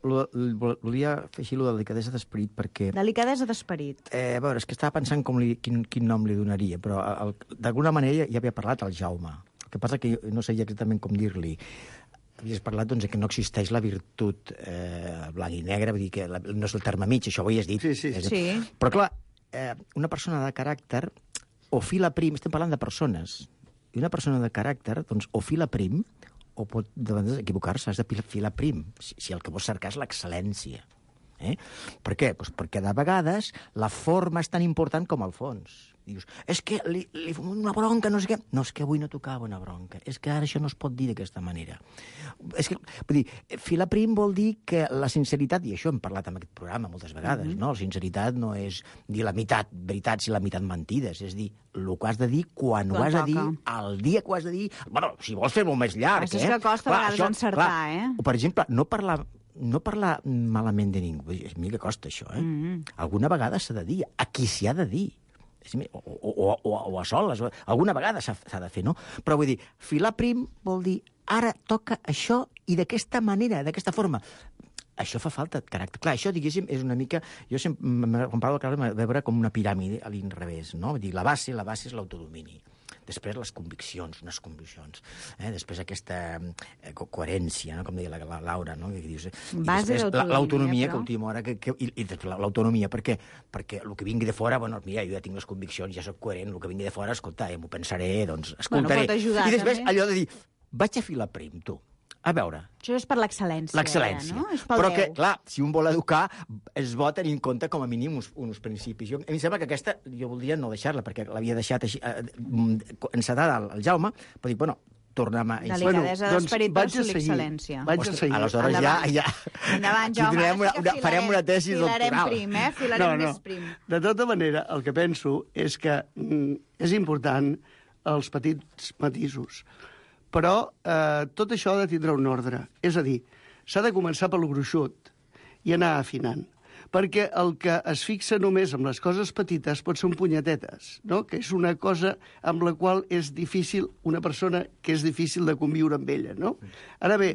volia fer així la delicadesa d'esperit, perquè... Delicadesa d'esperit. A veure, és que estava pensant quin nom li donaria, però d'alguna manera ja havia parlat el Jaume. El que passa que no sabia exactament com dir-li. Havies parlat que no existeix la virtut blanc i negre, vull dir que no és el terme mig, això ho havies dit. Sí. Però clar, una persona de caràcter o fila prim, estem parlant de persones, i una persona de caràcter, doncs, o fila prim, o pot equivocar-se, has de filar prim, si el que vols cercar és l'excel·lència. Per què? Doncs perquè de vegades la forma és tan important com el fons. Dius, és que li fem una bronca, no sé què. No, és que avui no tocava una bronca. És que ara això no es pot dir d'aquesta manera. És que, vull dir, filar prim vol dir que la sinceritat, i això hem parlat en aquest programa moltes vegades, no? La sinceritat no és dir la meitat veritats i la meitat mentides, és dir, el que has de dir, quan ho has de dir, el dia que ho has de dir... Bueno, si vols fer-ho més llarg, és que costa a vegades encertar, O, per exemple, no parlar malament de ningú. A mi que costa això, Alguna vegada s'ha de dir, a qui s'hi ha de dir. O a soles, alguna vegada s'ha de fer, no? Però vull dir, filar prim vol dir ara toca això i d'aquesta manera, d'aquesta forma. Això fa falta de caràcter. Clar, això, diguéssim, és una mica... Jo sempre, quan parlo de caràcter, de veure com una piràmide a l'inrevés, no? Vull dir, la base és l'autodomini. Després les conviccions, unes conviccions. Després aquesta coherència, no? Com deia la Laura, no? Que dius, base d'autonomia, l'autonomia, que última hora... I l'autonomia, per què? Perquè el que vingui de fora, bueno, mira, jo ja tinc les conviccions, ja soc coherent, el que vingui de fora, escolta, m'ho pensaré, doncs escoltaré. Bueno, pot ajudar, i després també. Allò de dir, vaig a filar prim, tu. A veure... Això és per l'excel·lència. L'excel·lència. No? És pel Però Déu. que, clar, si un vol educar, es bo tenir en compte com a mínim uns principis. A mi em sembla que aquesta, jo voldria no deixar-la, perquè l'havia deixat així, encetada el Jaume, però dic, bueno, tornem a... Delicadesa d'esperit versus l'excel·lència. Vaig a seguir. Aleshores ja... Endavant, Jaume. Farem una tesi doctoral. Filarem prim, Filarem més prim. De tota manera, el que penso és que és important els petits matisos. Però tot això ha de tindre un ordre. És a dir, s'ha de començar pel gruixut i anar afinant. Perquè el que es fixa només en les coses petites pot ser un punyetetes, no? Que és una cosa amb la qual és difícil, una persona que és difícil de conviure amb ella, no? Ara bé,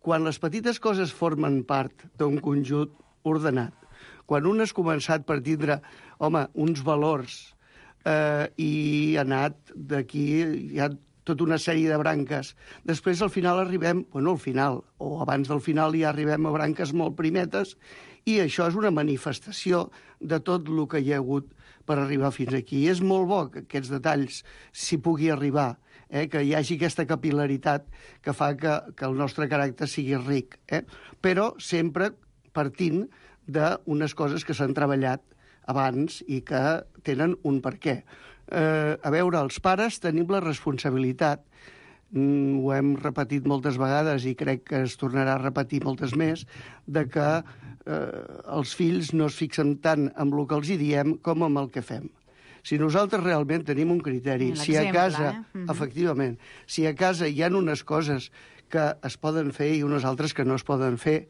quan les petites coses formen part d'un conjunt ordenat, quan un has començat per tindre, home, uns valors i ha anat d'aquí, hi ha tota una sèrie de branques. Després, al final, arribem... Bueno, al final, o abans del final, ja arribem a branques molt primetes, i això és una manifestació de tot el que hi ha hagut per arribar fins aquí. I és molt bo que aquests detalls s'hi pugui arribar, que hi hagi aquesta capil·laritat que fa que el nostre caràcter sigui ric. Però sempre partint d'unes coses que s'han treballat abans i que tenen un perquè. A veure, els pares tenim la responsabilitat, ho hem repetit moltes vegades i crec que es tornarà a repetir moltes més, de que els fills no es fixen tant amb el que els hi diem com amb el que fem. Si nosaltres realment tenim un criteri, si a casa, efectivament, si a casa hi ha unes coses que es poden fer i unes altres que no es poden fer,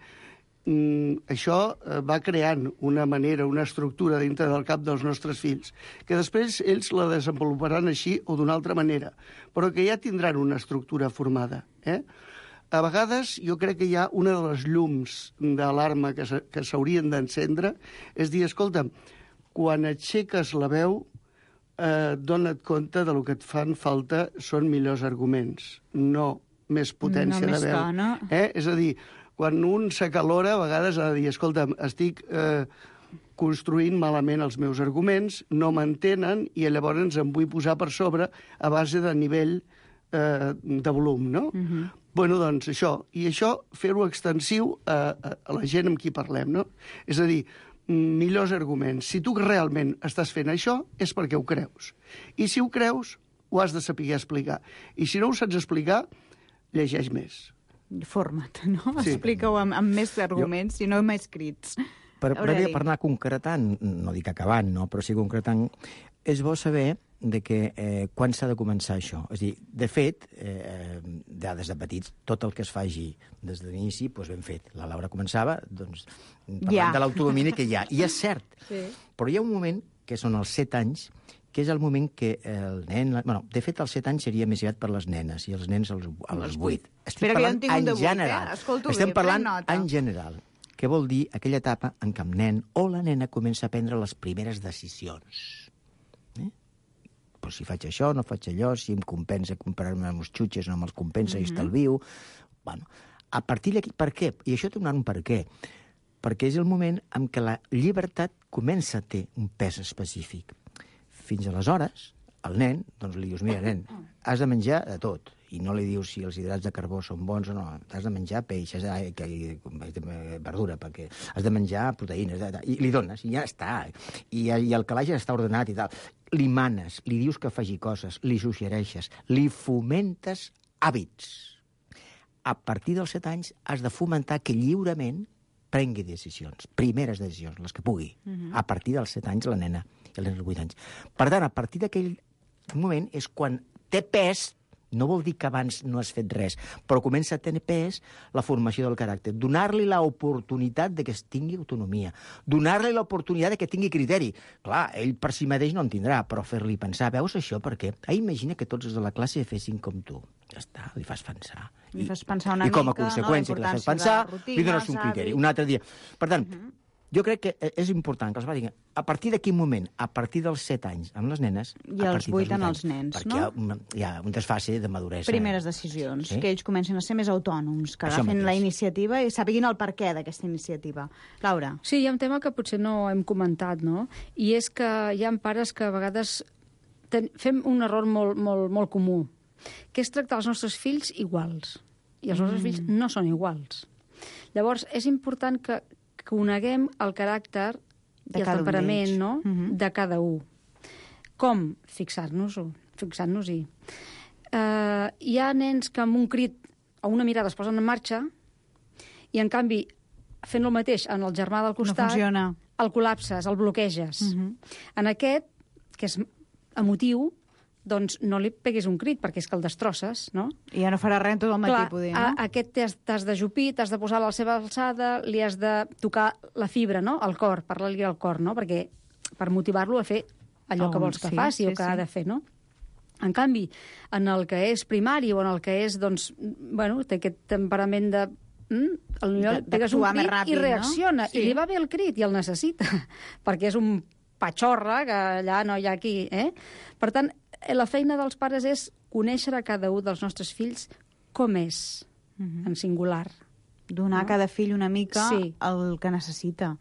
això va creant una manera, una estructura dintre del cap dels nostres fills, que després ells la desenvoluparan així o d'una altra manera, però que ja tindran una estructura formada. A vegades jo crec que hi ha una de les llums d'alarma que s'haurien d'encendre, és dir, escolta'm, quan aixeques la veu, dona't compte de lo que et fan falta són millors arguments, no més potència de veu. No? És a dir, quan un s'acalora, a vegades ha de dir, escolta'm, estic construint malament els meus arguments, no m'entenen, i llavors em vull posar per sobre a base de nivell de volum, no? Bueno, doncs això. I això, fer-ho extensiu a la gent amb qui parlem, no? És a dir, millors arguments. Si tu realment estàs fent això, és perquè ho creus. I si ho creus, ho has de saber explicar. I si no ho saps explicar, llegeix més. Forma't, no? Sí. Explica-ho amb més arguments i no més crits. Per anar concretant, no dic acabant, no, però sí concretant, és bo saber de que quan s'ha de començar això. És a dir, de fet, des de petits, tot el que es faci des de l'inici, doncs ben fet. La Laura començava parlant de l'autodomini que hi ha. I és cert, però hi ha un moment, que són els 7 anys, que és el moment que el nen... Bueno, de fet, als 7 anys seria més aviat per les nenes, i els nens als 8. Espera, que jo en tinc un de 8, Escolto bé, estem parlant en general. Què vol dir aquella etapa en què el nen o la nena comença a prendre les primeres decisions. Però si faig això, no faig allò, si em compensa comprar-me uns xutxes, no me'ls compensa i estalvio... Bueno, a partir d'aquí, per què? I això té un per què. Perquè és el moment en què la llibertat comença a tenir un pes específic. Fins aleshores, el nen, doncs li dius, mira, nen, has de menjar de tot. I no li dius si els hidrats de carbó són bons o no. Has de menjar peix, verdura, perquè has de menjar proteïnes. I li dones, i ja està. I el calaix ja està ordenat i tal. Li manes, li dius que faci coses, li suggereixes, li fomentes hàbits. A partir dels 7 anys has de fomentar que lliurement prengui decisions, primeres decisions, les que pugui. A partir dels 7 anys la nena, i els 8 anys. Per tant, a partir d'aquell moment és quan té pes, no vol dir que abans no has fet res, però comença a tenir pes la formació del caràcter. Donar-li l'oportunitat de que tingui autonomia. Donar-li l'oportunitat de que tingui criteri. Clar, ell per si mateix no en tindrà, però fer-li pensar, veus això per què? Imagina que tots els de la classe fessin com tu. Ja està, li fas pensar. Li fas pensar una mica, i com a conseqüència que li fas pensar, li dones un criteri. Un altre dia. Per tant, jo crec que és important que els va dir a partir de quin moment? A partir dels 7 anys amb les nenes... I els 8 en els nens, no? Perquè hi ha un desfase de maduresa. Primeres decisions, que ells comencen a ser més autònoms, que agafin la iniciativa i sàpiguin el perquè d'aquesta iniciativa. Laura. Sí, hi ha un tema que potser no hem comentat, no? I és que hi ha pares que a vegades fem un error molt comú, que és tractar els nostres fills iguals. i els nostres fills no són iguals. Llavors, és important que coneguem el caràcter i el temperament, no?, de cada un. Com? Fixant-nos-hi. Hi ha nens que amb un crit o una mirada es posen en marxa i, en canvi, fent el mateix en el germà del costat, no funciona. El col·lapses, el bloqueges. En aquest, que és emotiu, doncs no li peguis un crit, perquè és que el destrosses, no? I ja no farà res tot el matí, poder, no? Aquest t'has d'ajupir, t'has de posar a la seva alçada, li has de tocar la fibra, no?, el cor, parlar-li al cor, no?, perquè per motivar-lo a fer allò que vols que faci o que ha de fer, no? En canvi, en el que és primari o en el que és, doncs, bueno, té aquest temperament de... Potser pegues un crit ràpid, i reacciona, i li va bé el crit i el necessita, perquè és un patxorra que allà no hi ha aquí, Per tant, la feina dels pares és conèixer a cada un dels nostres fills com és, en singular. Donar a cada fill una mica el que necessita,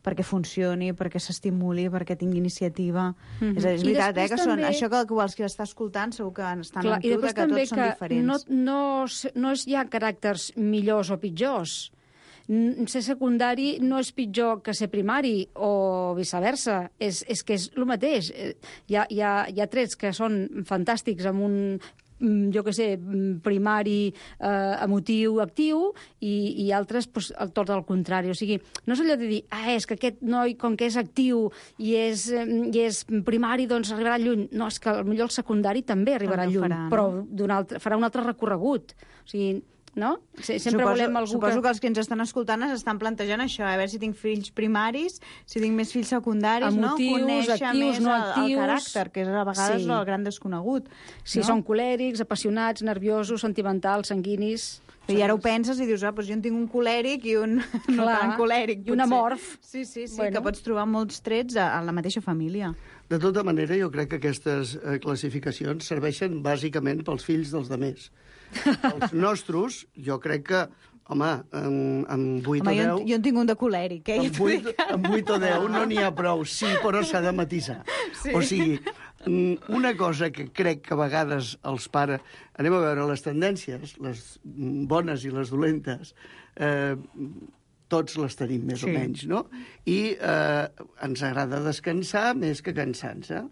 perquè funcioni, perquè s'estimuli, perquè tingui iniciativa. És veritat, que són això que els que està escoltant segur que estan amb tu, que tots són diferents. No és ja caràcters millors o pitjors. Ser secundari no és pitjor que ser primari o viceversa. És que és el mateix. Hi ha trets que són fantàstics amb un, jo què sé, primari emotiu, actiu, i altres tot el contrari. O sigui, no és allò de dir, és que aquest noi, com que és actiu i és primari, doncs arribarà lluny. No, és que potser el secundari també arribarà lluny, però farà un altre recorregut. O sigui, no? Sempre volem algú Suposo que els que ens estan escoltant estan plantejant això, a veure si tinc fills primaris, si tinc més fills secundaris, emotius, conèixer actius, més no actius, el caràcter, que és a vegades el gran desconegut. Si són colèrics, apassionats, nerviosos, sentimentals, sanguinis... I ara ho penses i dius, doncs jo en tinc un colèric i un no tan colèric. I un amorf. Sí, que pots trobar molts trets a la mateixa família. De tota manera, jo crec que aquestes classificacions serveixen bàsicament pels fills dels demés. Els nostres, jo crec que, home, amb 8 o 10... Jo en tinc un de colèric, Amb 8 o 10 no n'hi ha prou, sí, però s'ha de matisar. O sigui, una cosa que crec que a vegades els pares... Anem a veure les tendències, les bones i les dolentes, tots les tenim més o menys, no? I ens agrada descansar més que cansar-se.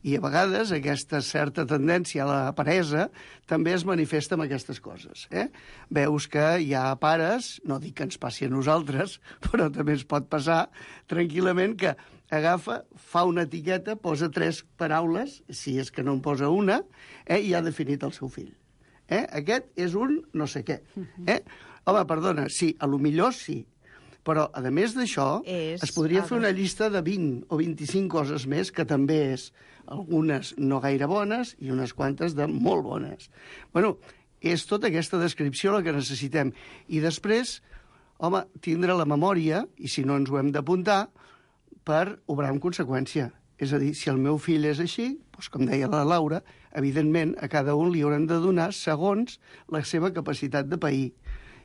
I a vegades aquesta certa tendència a la peresa també es manifesta amb aquestes coses. Veus que hi ha pares, no dic que ens passi a nosaltres, però també es pot passar tranquil·lament, que agafa, fa una etiqueta, posa 3 paraules, si és que no en posa una, i ha definit el seu fill. Aquest és un no sé què. Home, perdona, sí, a lo millor sí, però, a més d'això, es podria fer una llista de 20 o 25 coses més, que també és algunes no gaire bones i unes quantes de molt bones. Bueno, és tota aquesta descripció la que necessitem. I després, home, tindre la memòria, i si no ens ho hem d'apuntar, per obrar en conseqüència. És a dir, si el meu fill és així, doncs, com deia la Laura, evidentment a cada un li hauran de donar segons la seva capacitat de pair.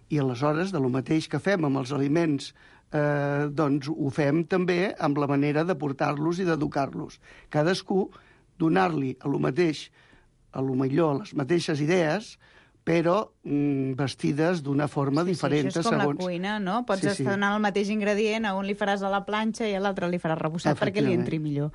I aleshores, de lo mateix que fem amb els aliments, doncs ho fem també amb la manera de portar-los i d'educar-los. Cadascú donar-li a lo mateix, a lo millor les mateixes idees, però vestides d'una forma diferent. Això és com la cuina, no? Pots estar donant el mateix ingredient, a un li faràs a la planxa i a l'altre li faràs repossat perquè li entri millor.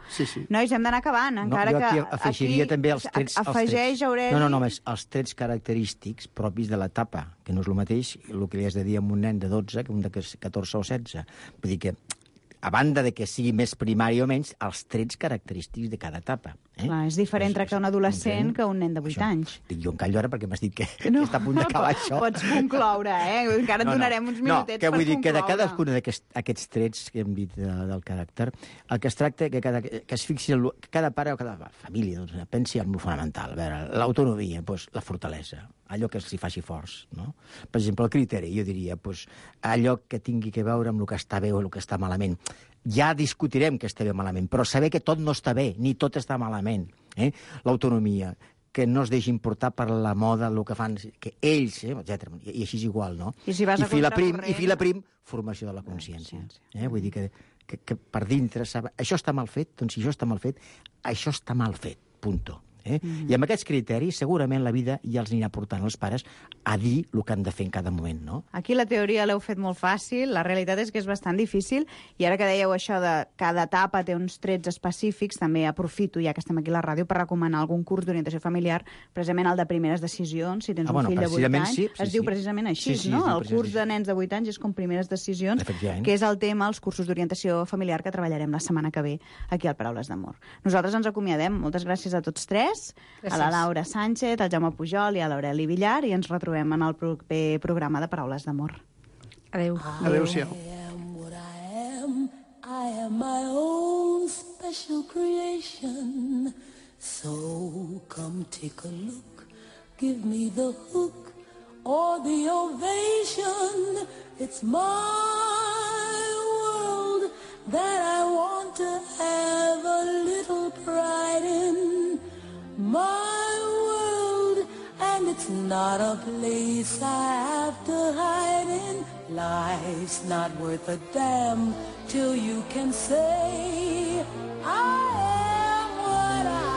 Nois, hem d'anar acabant, encara que... Jo afegiria també els trets... Afegeix, Aureli... No, els trets característics propis de l'etapa, que no és el mateix el que li has de dir a un nen de 12 que un de 14 o 16. Vull dir que, a banda de que sigui més primari o menys, els trets característics de cada etapa. Clar, és diferent tractar un adolescent que un nen de 8 anys. Dic, jo em callo ara perquè m'has dit que està a punt d'acabar això. Pots concloure, Encara et donarem uns minutets per concloure. Vull dir que de cadascun d'aquests trets que hem dit del caràcter, el que es tracta que es fixi que cada pare o cada família pensi en el fonamental. A veure, l'autonomia, la fortalesa, allò que els hi faci forts. No? Per exemple, el criteri, jo diria, allò que tingui que veure amb el que està bé o el que està malament. Ja discutirem que està bé o malament, però saber que tot no està bé, ni tot està malament. L'autonomia, que no es deixin portar per la moda, el que fan, que ells, etc. I així és igual, no? I si vas a contracorrent... I fila prim, formació de la consciència. Vull dir que per dintre, això està mal fet, doncs si això està mal fet, això està mal fet, punto. I amb aquests criteris segurament la vida ja els anirà portant els pares a dir el que han de fer en cada moment, no? Aquí la teoria l'heu fet molt fàcil, la realitat és que és bastant difícil, i ara que dèieu això de cada etapa té uns trets específics, també aprofito, ja que estem aquí a la ràdio, per recomanar algun curs d'orientació familiar, precisament el de primeres decisions, si tens un fill de 8 anys, es diu precisament així, no? El curs de nens de 8 anys és com primeres decisions, que és el tema, els cursos d'orientació familiar que treballarem la setmana que ve aquí al Paraules d'Amor. Nosaltres ens acomiadem. Moltes gràcies a tots tres, a la Laura Sánchez, al Jaume Pujol i a l'Aureli Villar, i ens retrobem en el proper programa de Paraules d'Amor. Adéu. Adéu-siau. I am my own special creation. So come take a look, give me the hook or the ovation. It's my world that I want to have a little pride in. My world, and it's not a place I have to hide in. Life's not worth a damn till you can say I am what I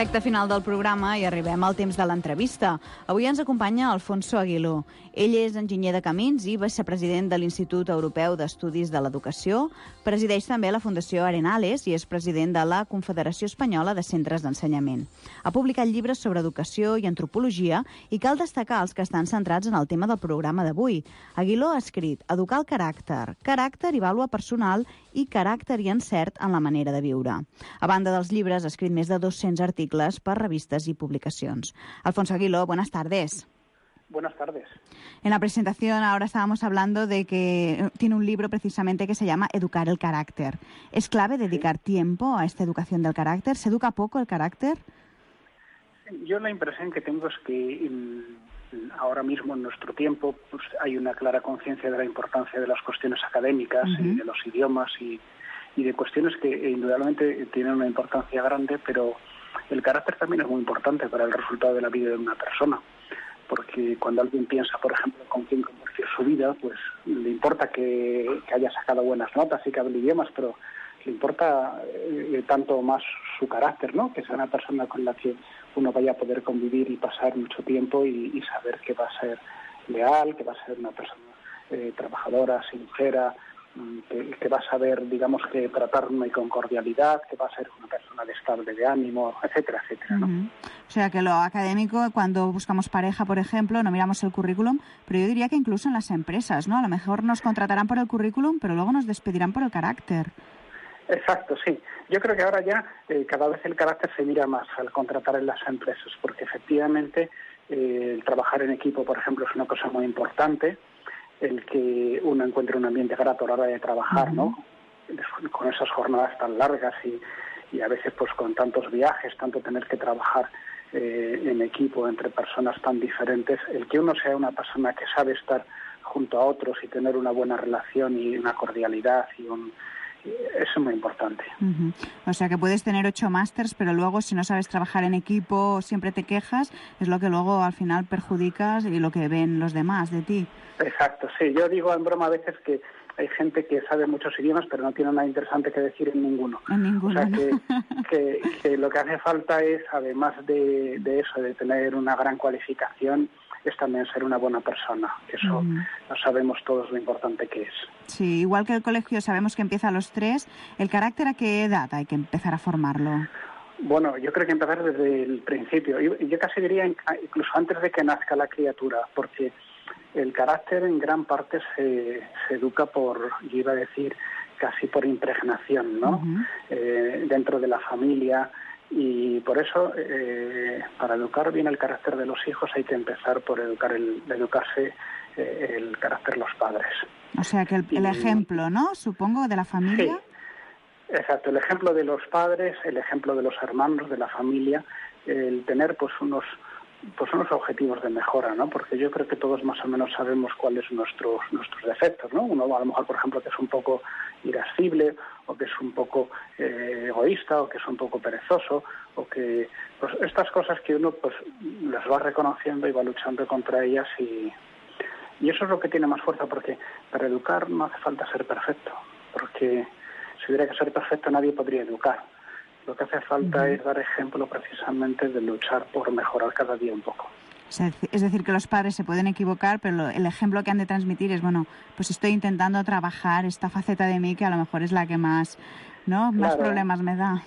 Recte final del programa i arribem al temps de l'entrevista. Avui ens acompanya Alfonso Aguiló. Ell és enginyer de camins i vicepresident de l'Institut Europeu d'Estudis de l'Educació. Presideix també la Fundació Arenales i és president de la Confederació Espanyola de Centres d'Ensenyament. Ha publicat llibres sobre educació i antropologia i cal destacar els que estan centrats en el tema del programa d'avui. Aguiló ha escrit Educar el caràcter, caràcter i vàlua personal i caràcter i encert en la manera de viure. A banda dels llibres, ha escrit més de 200 articles per revistes y publicaciones. Alfonso Aguiló, buenas tardes. Buenas tardes. En la presentación ahora estábamos hablando de que tiene un libro precisamente que se llama Educar el carácter. ¿Es clave dedicar tiempo a esta educación del carácter? ¿Se educa poco el carácter? Yo la impresión que tengo es que ahora mismo en nuestro tiempo pues, hay una clara conciencia de la importancia de las cuestiones académicas y de los idiomas y de cuestiones que indudablemente tienen una importancia grande, pero el carácter también es muy importante para el resultado de la vida de una persona, porque cuando alguien piensa, por ejemplo, con quién compartir su vida, pues le importa que haya sacado buenas notas y que hable idiomas, pero le importa tanto más su carácter, ¿no? Que sea una persona con la que uno vaya a poder convivir y pasar mucho tiempo y saber que va a ser leal, que va a ser una persona trabajadora, sincera, que va a saber, digamos, que tratarme con cordialidad, que va a ser una persona estable de ánimo, etcétera, etcétera, ¿no? O sea, que lo académico, cuando buscamos pareja, por ejemplo, no miramos el currículum, pero yo diría que incluso en las empresas, ¿no? A lo mejor nos contratarán por el currículum, pero luego nos despedirán por el carácter. Exacto, sí. Yo creo que ahora ya cada vez el carácter se mira más al contratar en las empresas, porque efectivamente el trabajar en equipo, por ejemplo, es una cosa muy importante, el que uno encuentre un ambiente grato a la hora de trabajar, ¿no? Con esas jornadas tan largas y a veces pues con tantos viajes, tanto tener que trabajar en equipo entre personas tan diferentes, el que uno sea una persona que sabe estar junto a otros y tener una buena relación y una cordialidad Eso es muy importante. O sea que puedes tener 8 másters, pero luego si no sabes trabajar en equipo, siempre te quejas, es lo que luego al final perjudicas y lo que ven los demás de ti. Exacto, sí. Yo digo en broma a veces que hay gente que sabe muchos idiomas, pero no tiene nada interesante que decir en ninguno. En ninguno. O sea que lo que hace falta es, además de eso, de tener una gran cualificación, es también ser una buena persona. Eso lo sabemos todos lo importante que es. Sí, igual que el colegio sabemos que empieza a los 3, ¿el carácter a qué edad hay que empezar a formarlo? Bueno, yo creo que empezar desde el principio. Yo casi diría incluso antes de que nazca la criatura, porque el carácter en gran parte se educa yo iba a decir, casi por impregnación, ¿no? Dentro de la familia. Y por eso, para educar bien el carácter de los hijos hay que empezar por educarse el carácter de los padres. O sea, que el ejemplo, ¿no? Supongo, de la familia. Sí, exacto. El ejemplo de los padres, el ejemplo de los hermanos, de la familia, el tener pues unos objetivos de mejora, ¿no? Porque yo creo que todos más o menos sabemos cuáles son nuestros defectos, ¿no? Uno a lo mejor, por ejemplo, que es un poco irascible, o que es un poco egoísta, o que es un poco perezoso, o que pues estas cosas que uno pues las va reconociendo y va luchando contra ellas, y eso es lo que tiene más fuerza, porque para educar no hace falta ser perfecto, porque si hubiera que ser perfecto nadie podría educar. Lo que hace falta es dar ejemplo precisamente de luchar por mejorar cada día un poco. O sea, es decir, que los padres se pueden equivocar, pero el ejemplo que han de transmitir es, bueno, pues estoy intentando trabajar esta faceta de mí que a lo mejor es la que más problemas me da.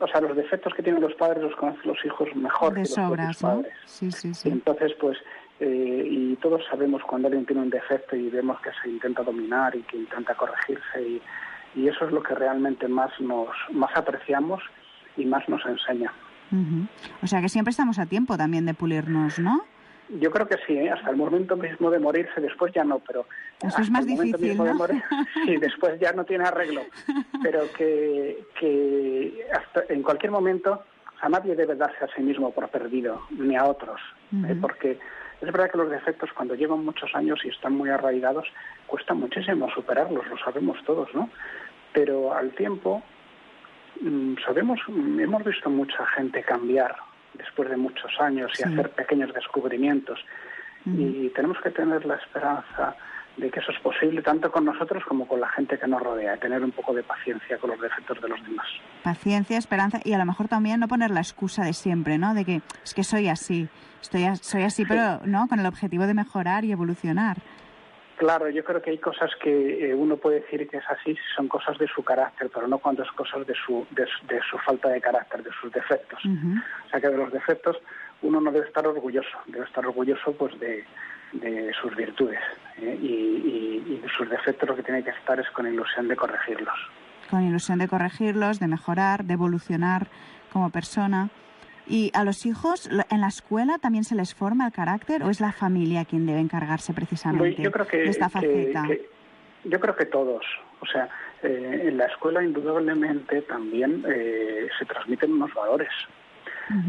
O sea, los defectos que tienen los padres los conocen los hijos mejor de que sobras, los propios padres. Sí. Y entonces, pues, y todos sabemos cuando alguien tiene un defecto y vemos que se intenta dominar y que intenta corregirse, y eso es lo que realmente más apreciamos y más nos enseña. O sea que siempre estamos a tiempo también de pulirnos, ¿no? Yo creo que sí, hasta el momento mismo de morirse, después ya no, pero... Eso es más difícil, ¿no? Sí, después ya no tiene arreglo, pero que hasta en cualquier momento a nadie debe darse a sí mismo por perdido, ni a otros, porque es verdad que los defectos cuando llevan muchos años y están muy arraigados, cuesta muchísimo superarlos, lo sabemos todos, ¿no? Pero al tiempo... hemos visto mucha gente cambiar después de muchos años y hacer pequeños descubrimientos, y tenemos que tener la esperanza de que eso es posible tanto con nosotros como con la gente que nos rodea, tener un poco de paciencia con los defectos de los demás. Paciencia, esperanza, y a lo mejor también no poner la excusa de siempre, ¿no? De que es que soy así, soy así, pero no, con el objetivo de mejorar y evolucionar. Claro, yo creo que hay cosas que uno puede decir que es así, son cosas de su carácter, pero no cuando es cosas de su falta de carácter, de sus defectos. O sea que de los defectos uno no debe estar orgulloso pues de sus virtudes, y de sus defectos lo que tiene que estar es con ilusión de corregirlos. Con ilusión de corregirlos, de mejorar, de evolucionar como persona. ¿Y a los hijos en la escuela también se les forma el carácter o es la familia quien debe encargarse precisamente de esta faceta? Yo creo que todos. O sea, en la escuela indudablemente también se transmiten unos valores.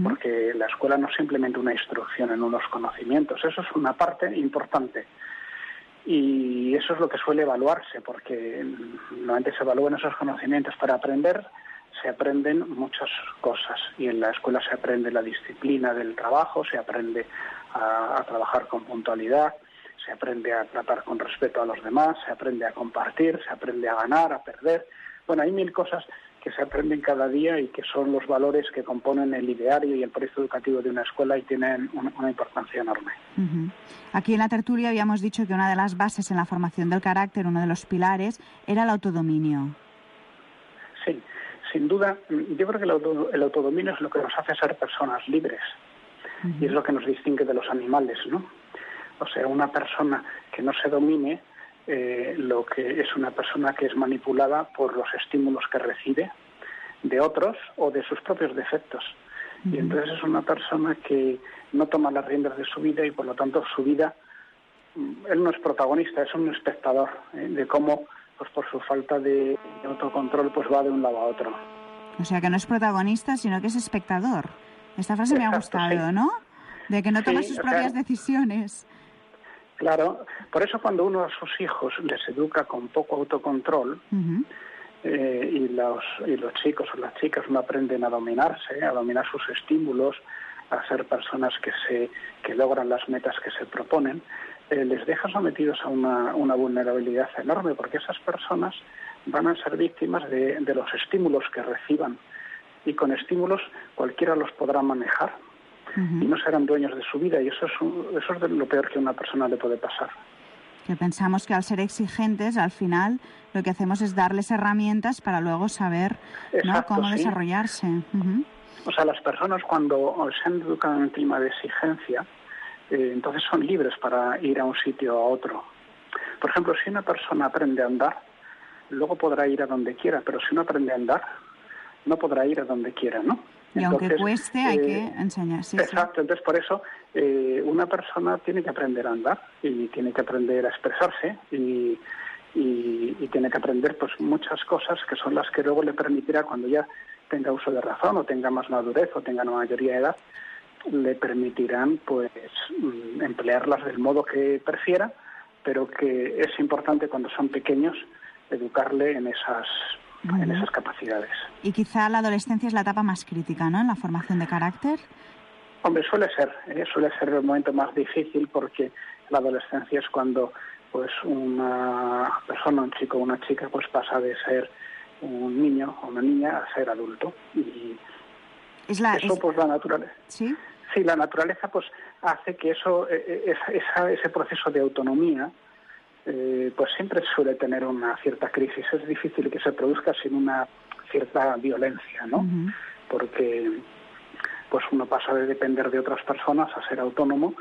Porque la escuela no es simplemente una instrucción en unos conocimientos, eso es una parte importante. Y eso es lo que suele evaluarse, porque normalmente se evalúan esos conocimientos para aprender. Se aprenden muchas cosas, y en la escuela se aprende la disciplina del trabajo, se aprende a trabajar con puntualidad, se aprende a tratar con respeto a los demás, se aprende a compartir, se aprende a ganar, a perder. Bueno, hay 1000 cosas que se aprenden cada día y que son los valores que componen el ideario y el proyecto educativo de una escuela y tienen una importancia enorme. Aquí en la tertulia habíamos dicho que una de las bases en la formación del carácter, uno de los pilares, era el autodominio. Sí. Sin duda, yo creo que el autodominio es lo que nos hace ser personas libres, y es lo que nos distingue de los animales, ¿no? O sea, una persona que no se domine, lo que es una persona que es manipulada por los estímulos que recibe de otros o de sus propios defectos. Y entonces es una persona que no toma las riendas de su vida y por lo tanto su vida, él no es protagonista, es un espectador de cómo, pues por su falta de autocontrol, pues va de un lado a otro. O sea, que no es protagonista, sino que es espectador. Esta frase me ha gustado, ¿no? De que no toma sus propias decisiones. Claro, por eso cuando uno a sus hijos les educa con poco autocontrol, y los chicos o las chicas no aprenden a dominarse, a dominar sus estímulos, a ser personas que logran las metas que se proponen, les deja sometidos a una vulnerabilidad enorme, porque esas personas van a ser víctimas de los estímulos que reciban, y con estímulos cualquiera los podrá manejar y no serán dueños de su vida, y eso es lo peor que a una persona le puede pasar. Que pensamos que al ser exigentes, al final, lo que hacemos es darles herramientas para luego saber, ¿no?, cómo desarrollarse. O sea, las personas cuando se han educado en un clima de exigencia, entonces son libres para ir a un sitio o a otro. Por ejemplo, si una persona aprende a andar, luego podrá ir a donde quiera, pero si no aprende a andar, no podrá ir a donde quiera, ¿no? Y entonces, aunque cueste, hay que enseñar. Sí, exacto, entonces por eso una persona tiene que aprender a andar y tiene que aprender a expresarse y tiene que aprender pues muchas cosas que son las que luego le permitirá, cuando ya tenga uso de razón o tenga más madurez o tenga una mayoría de edad, le permitirán pues emplearlas del modo que prefiera, pero que es importante cuando son pequeños educarle en esas capacidades. Y quizá la adolescencia es la etapa más crítica, ¿no?, en la formación de carácter. Hombre, suele ser el momento más difícil, porque la adolescencia es cuando pues una persona, un chico o una chica, pues pasa de ser un niño o una niña a ser adulto. Y pues la naturaleza. ¿Sí? Sí, la naturaleza pues hace que ese proceso de autonomía pues siempre suele tener una cierta crisis. Es difícil que se produzca sin una cierta violencia, ¿no? Porque pues uno pasa de depender de otras personas a ser autónomo,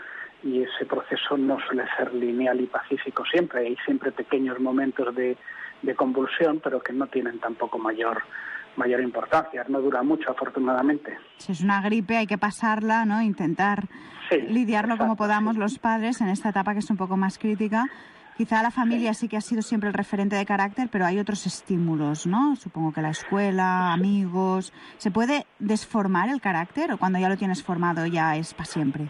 y ese proceso no suele ser lineal y pacífico siempre. Hay siempre pequeños momentos de convulsión, pero que no tienen tampoco mayor importancia. No dura mucho, afortunadamente. Si es una gripe, hay que pasarla, ¿no? Intentar lidiarlo como podamos los padres en esta etapa que es un poco más crítica. Quizá la familia sí que ha sido siempre el referente de carácter, pero hay otros estímulos, ¿no? Supongo que la escuela, amigos... ¿Se puede desformar el carácter o cuando ya lo tienes formado ya es para siempre?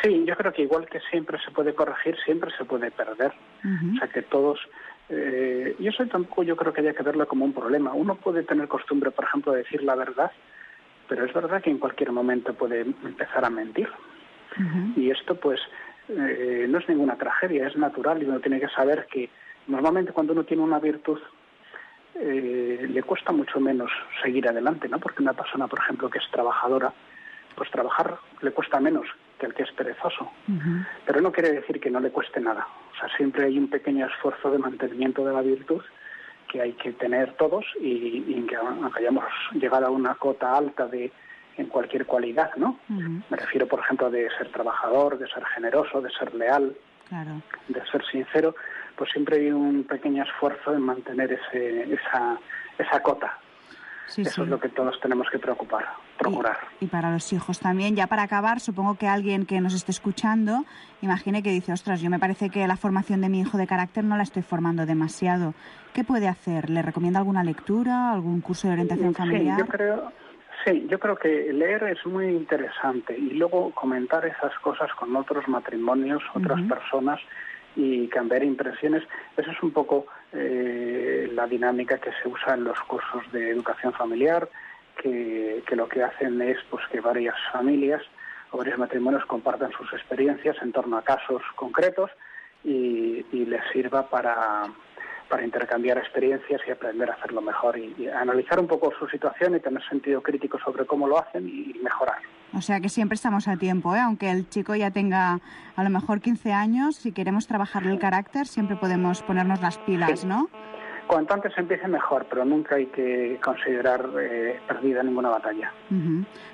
Sí, yo creo que igual que siempre se puede corregir, siempre se puede perder. O sea que todos... y eso tampoco yo creo que haya que verlo como un problema. Uno puede tener costumbre, por ejemplo, de decir la verdad, pero es verdad que en cualquier momento puede empezar a mentir. Y esto pues... no es ninguna tragedia, es natural, y uno tiene que saber que normalmente cuando uno tiene una virtud le cuesta mucho menos seguir adelante, ¿no? Porque una persona, por ejemplo, que es trabajadora, pues trabajar le cuesta menos que el que es perezoso. Pero no quiere decir que no le cueste nada. O sea, siempre hay un pequeño esfuerzo de mantenimiento de la virtud que hay que tener todos, y que aunque hayamos llegado a una cota alta en cualquier cualidad, ¿no? Me refiero, por ejemplo, de ser trabajador, de ser generoso, de ser leal, de ser sincero, pues siempre hay un pequeño esfuerzo en mantener esa cota. Eso es lo que todos tenemos que procurar. Y para los hijos también. Ya para acabar, supongo que alguien que nos esté escuchando imagine que dice, ostras, yo me parece que la formación de mi hijo de carácter no la estoy formando demasiado. ¿Qué puede hacer? ¿Le recomienda alguna lectura, algún curso de orientación familiar? Yo creo que leer es muy interesante, y luego comentar esas cosas con otros matrimonios, otras personas, y cambiar impresiones. Esa es un poco la dinámica que se usa en los cursos de educación familiar, que lo que hacen es pues que varias familias o varios matrimonios compartan sus experiencias en torno a casos concretos y les sirva para intercambiar experiencias y aprender a hacerlo mejor y analizar un poco su situación y tener sentido crítico sobre cómo lo hacen y mejorar. O sea que siempre estamos a tiempo, ¿eh? Aunque el chico ya tenga a lo mejor 15 años, si queremos trabajarle el carácter siempre podemos ponernos las pilas, ¿no? Cuanto antes empiece mejor, pero nunca hay que considerar perdida ninguna batalla.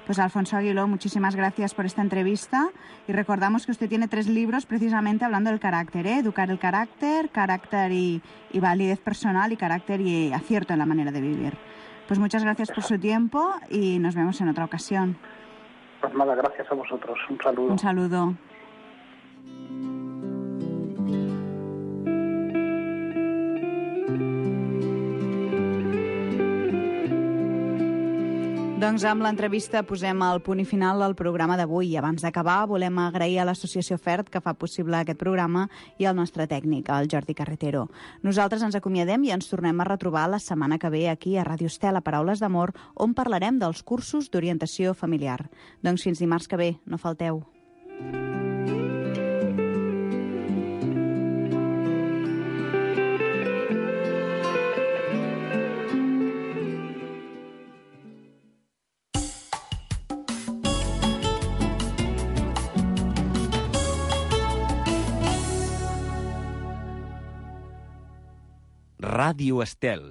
Pues Alfonso Aguiló, muchísimas gracias por esta entrevista, y recordamos que usted tiene 3 libros precisamente hablando del carácter, ¿eh? Educar el carácter, carácter y validez personal, y carácter y acierto en la manera de vivir. Pues muchas gracias por su tiempo y nos vemos en otra ocasión. Pues nada, gracias a vosotros. Un saludo. Un saludo. Doncs amb l'entrevista posem el punt i final al programa d'avui. I abans d'acabar, volem agrair a l'Associació FERT que fa possible aquest programa i al nostre tècnic, el Jordi Carretero. Nosaltres ens acomiadem i ens tornem a retrobar la setmana que ve aquí a Ràdio Estel, a Paraules d'Amor, on parlarem dels cursos d'orientació familiar. Doncs fins dimarts que ve, no falteu. Ràdio Estel.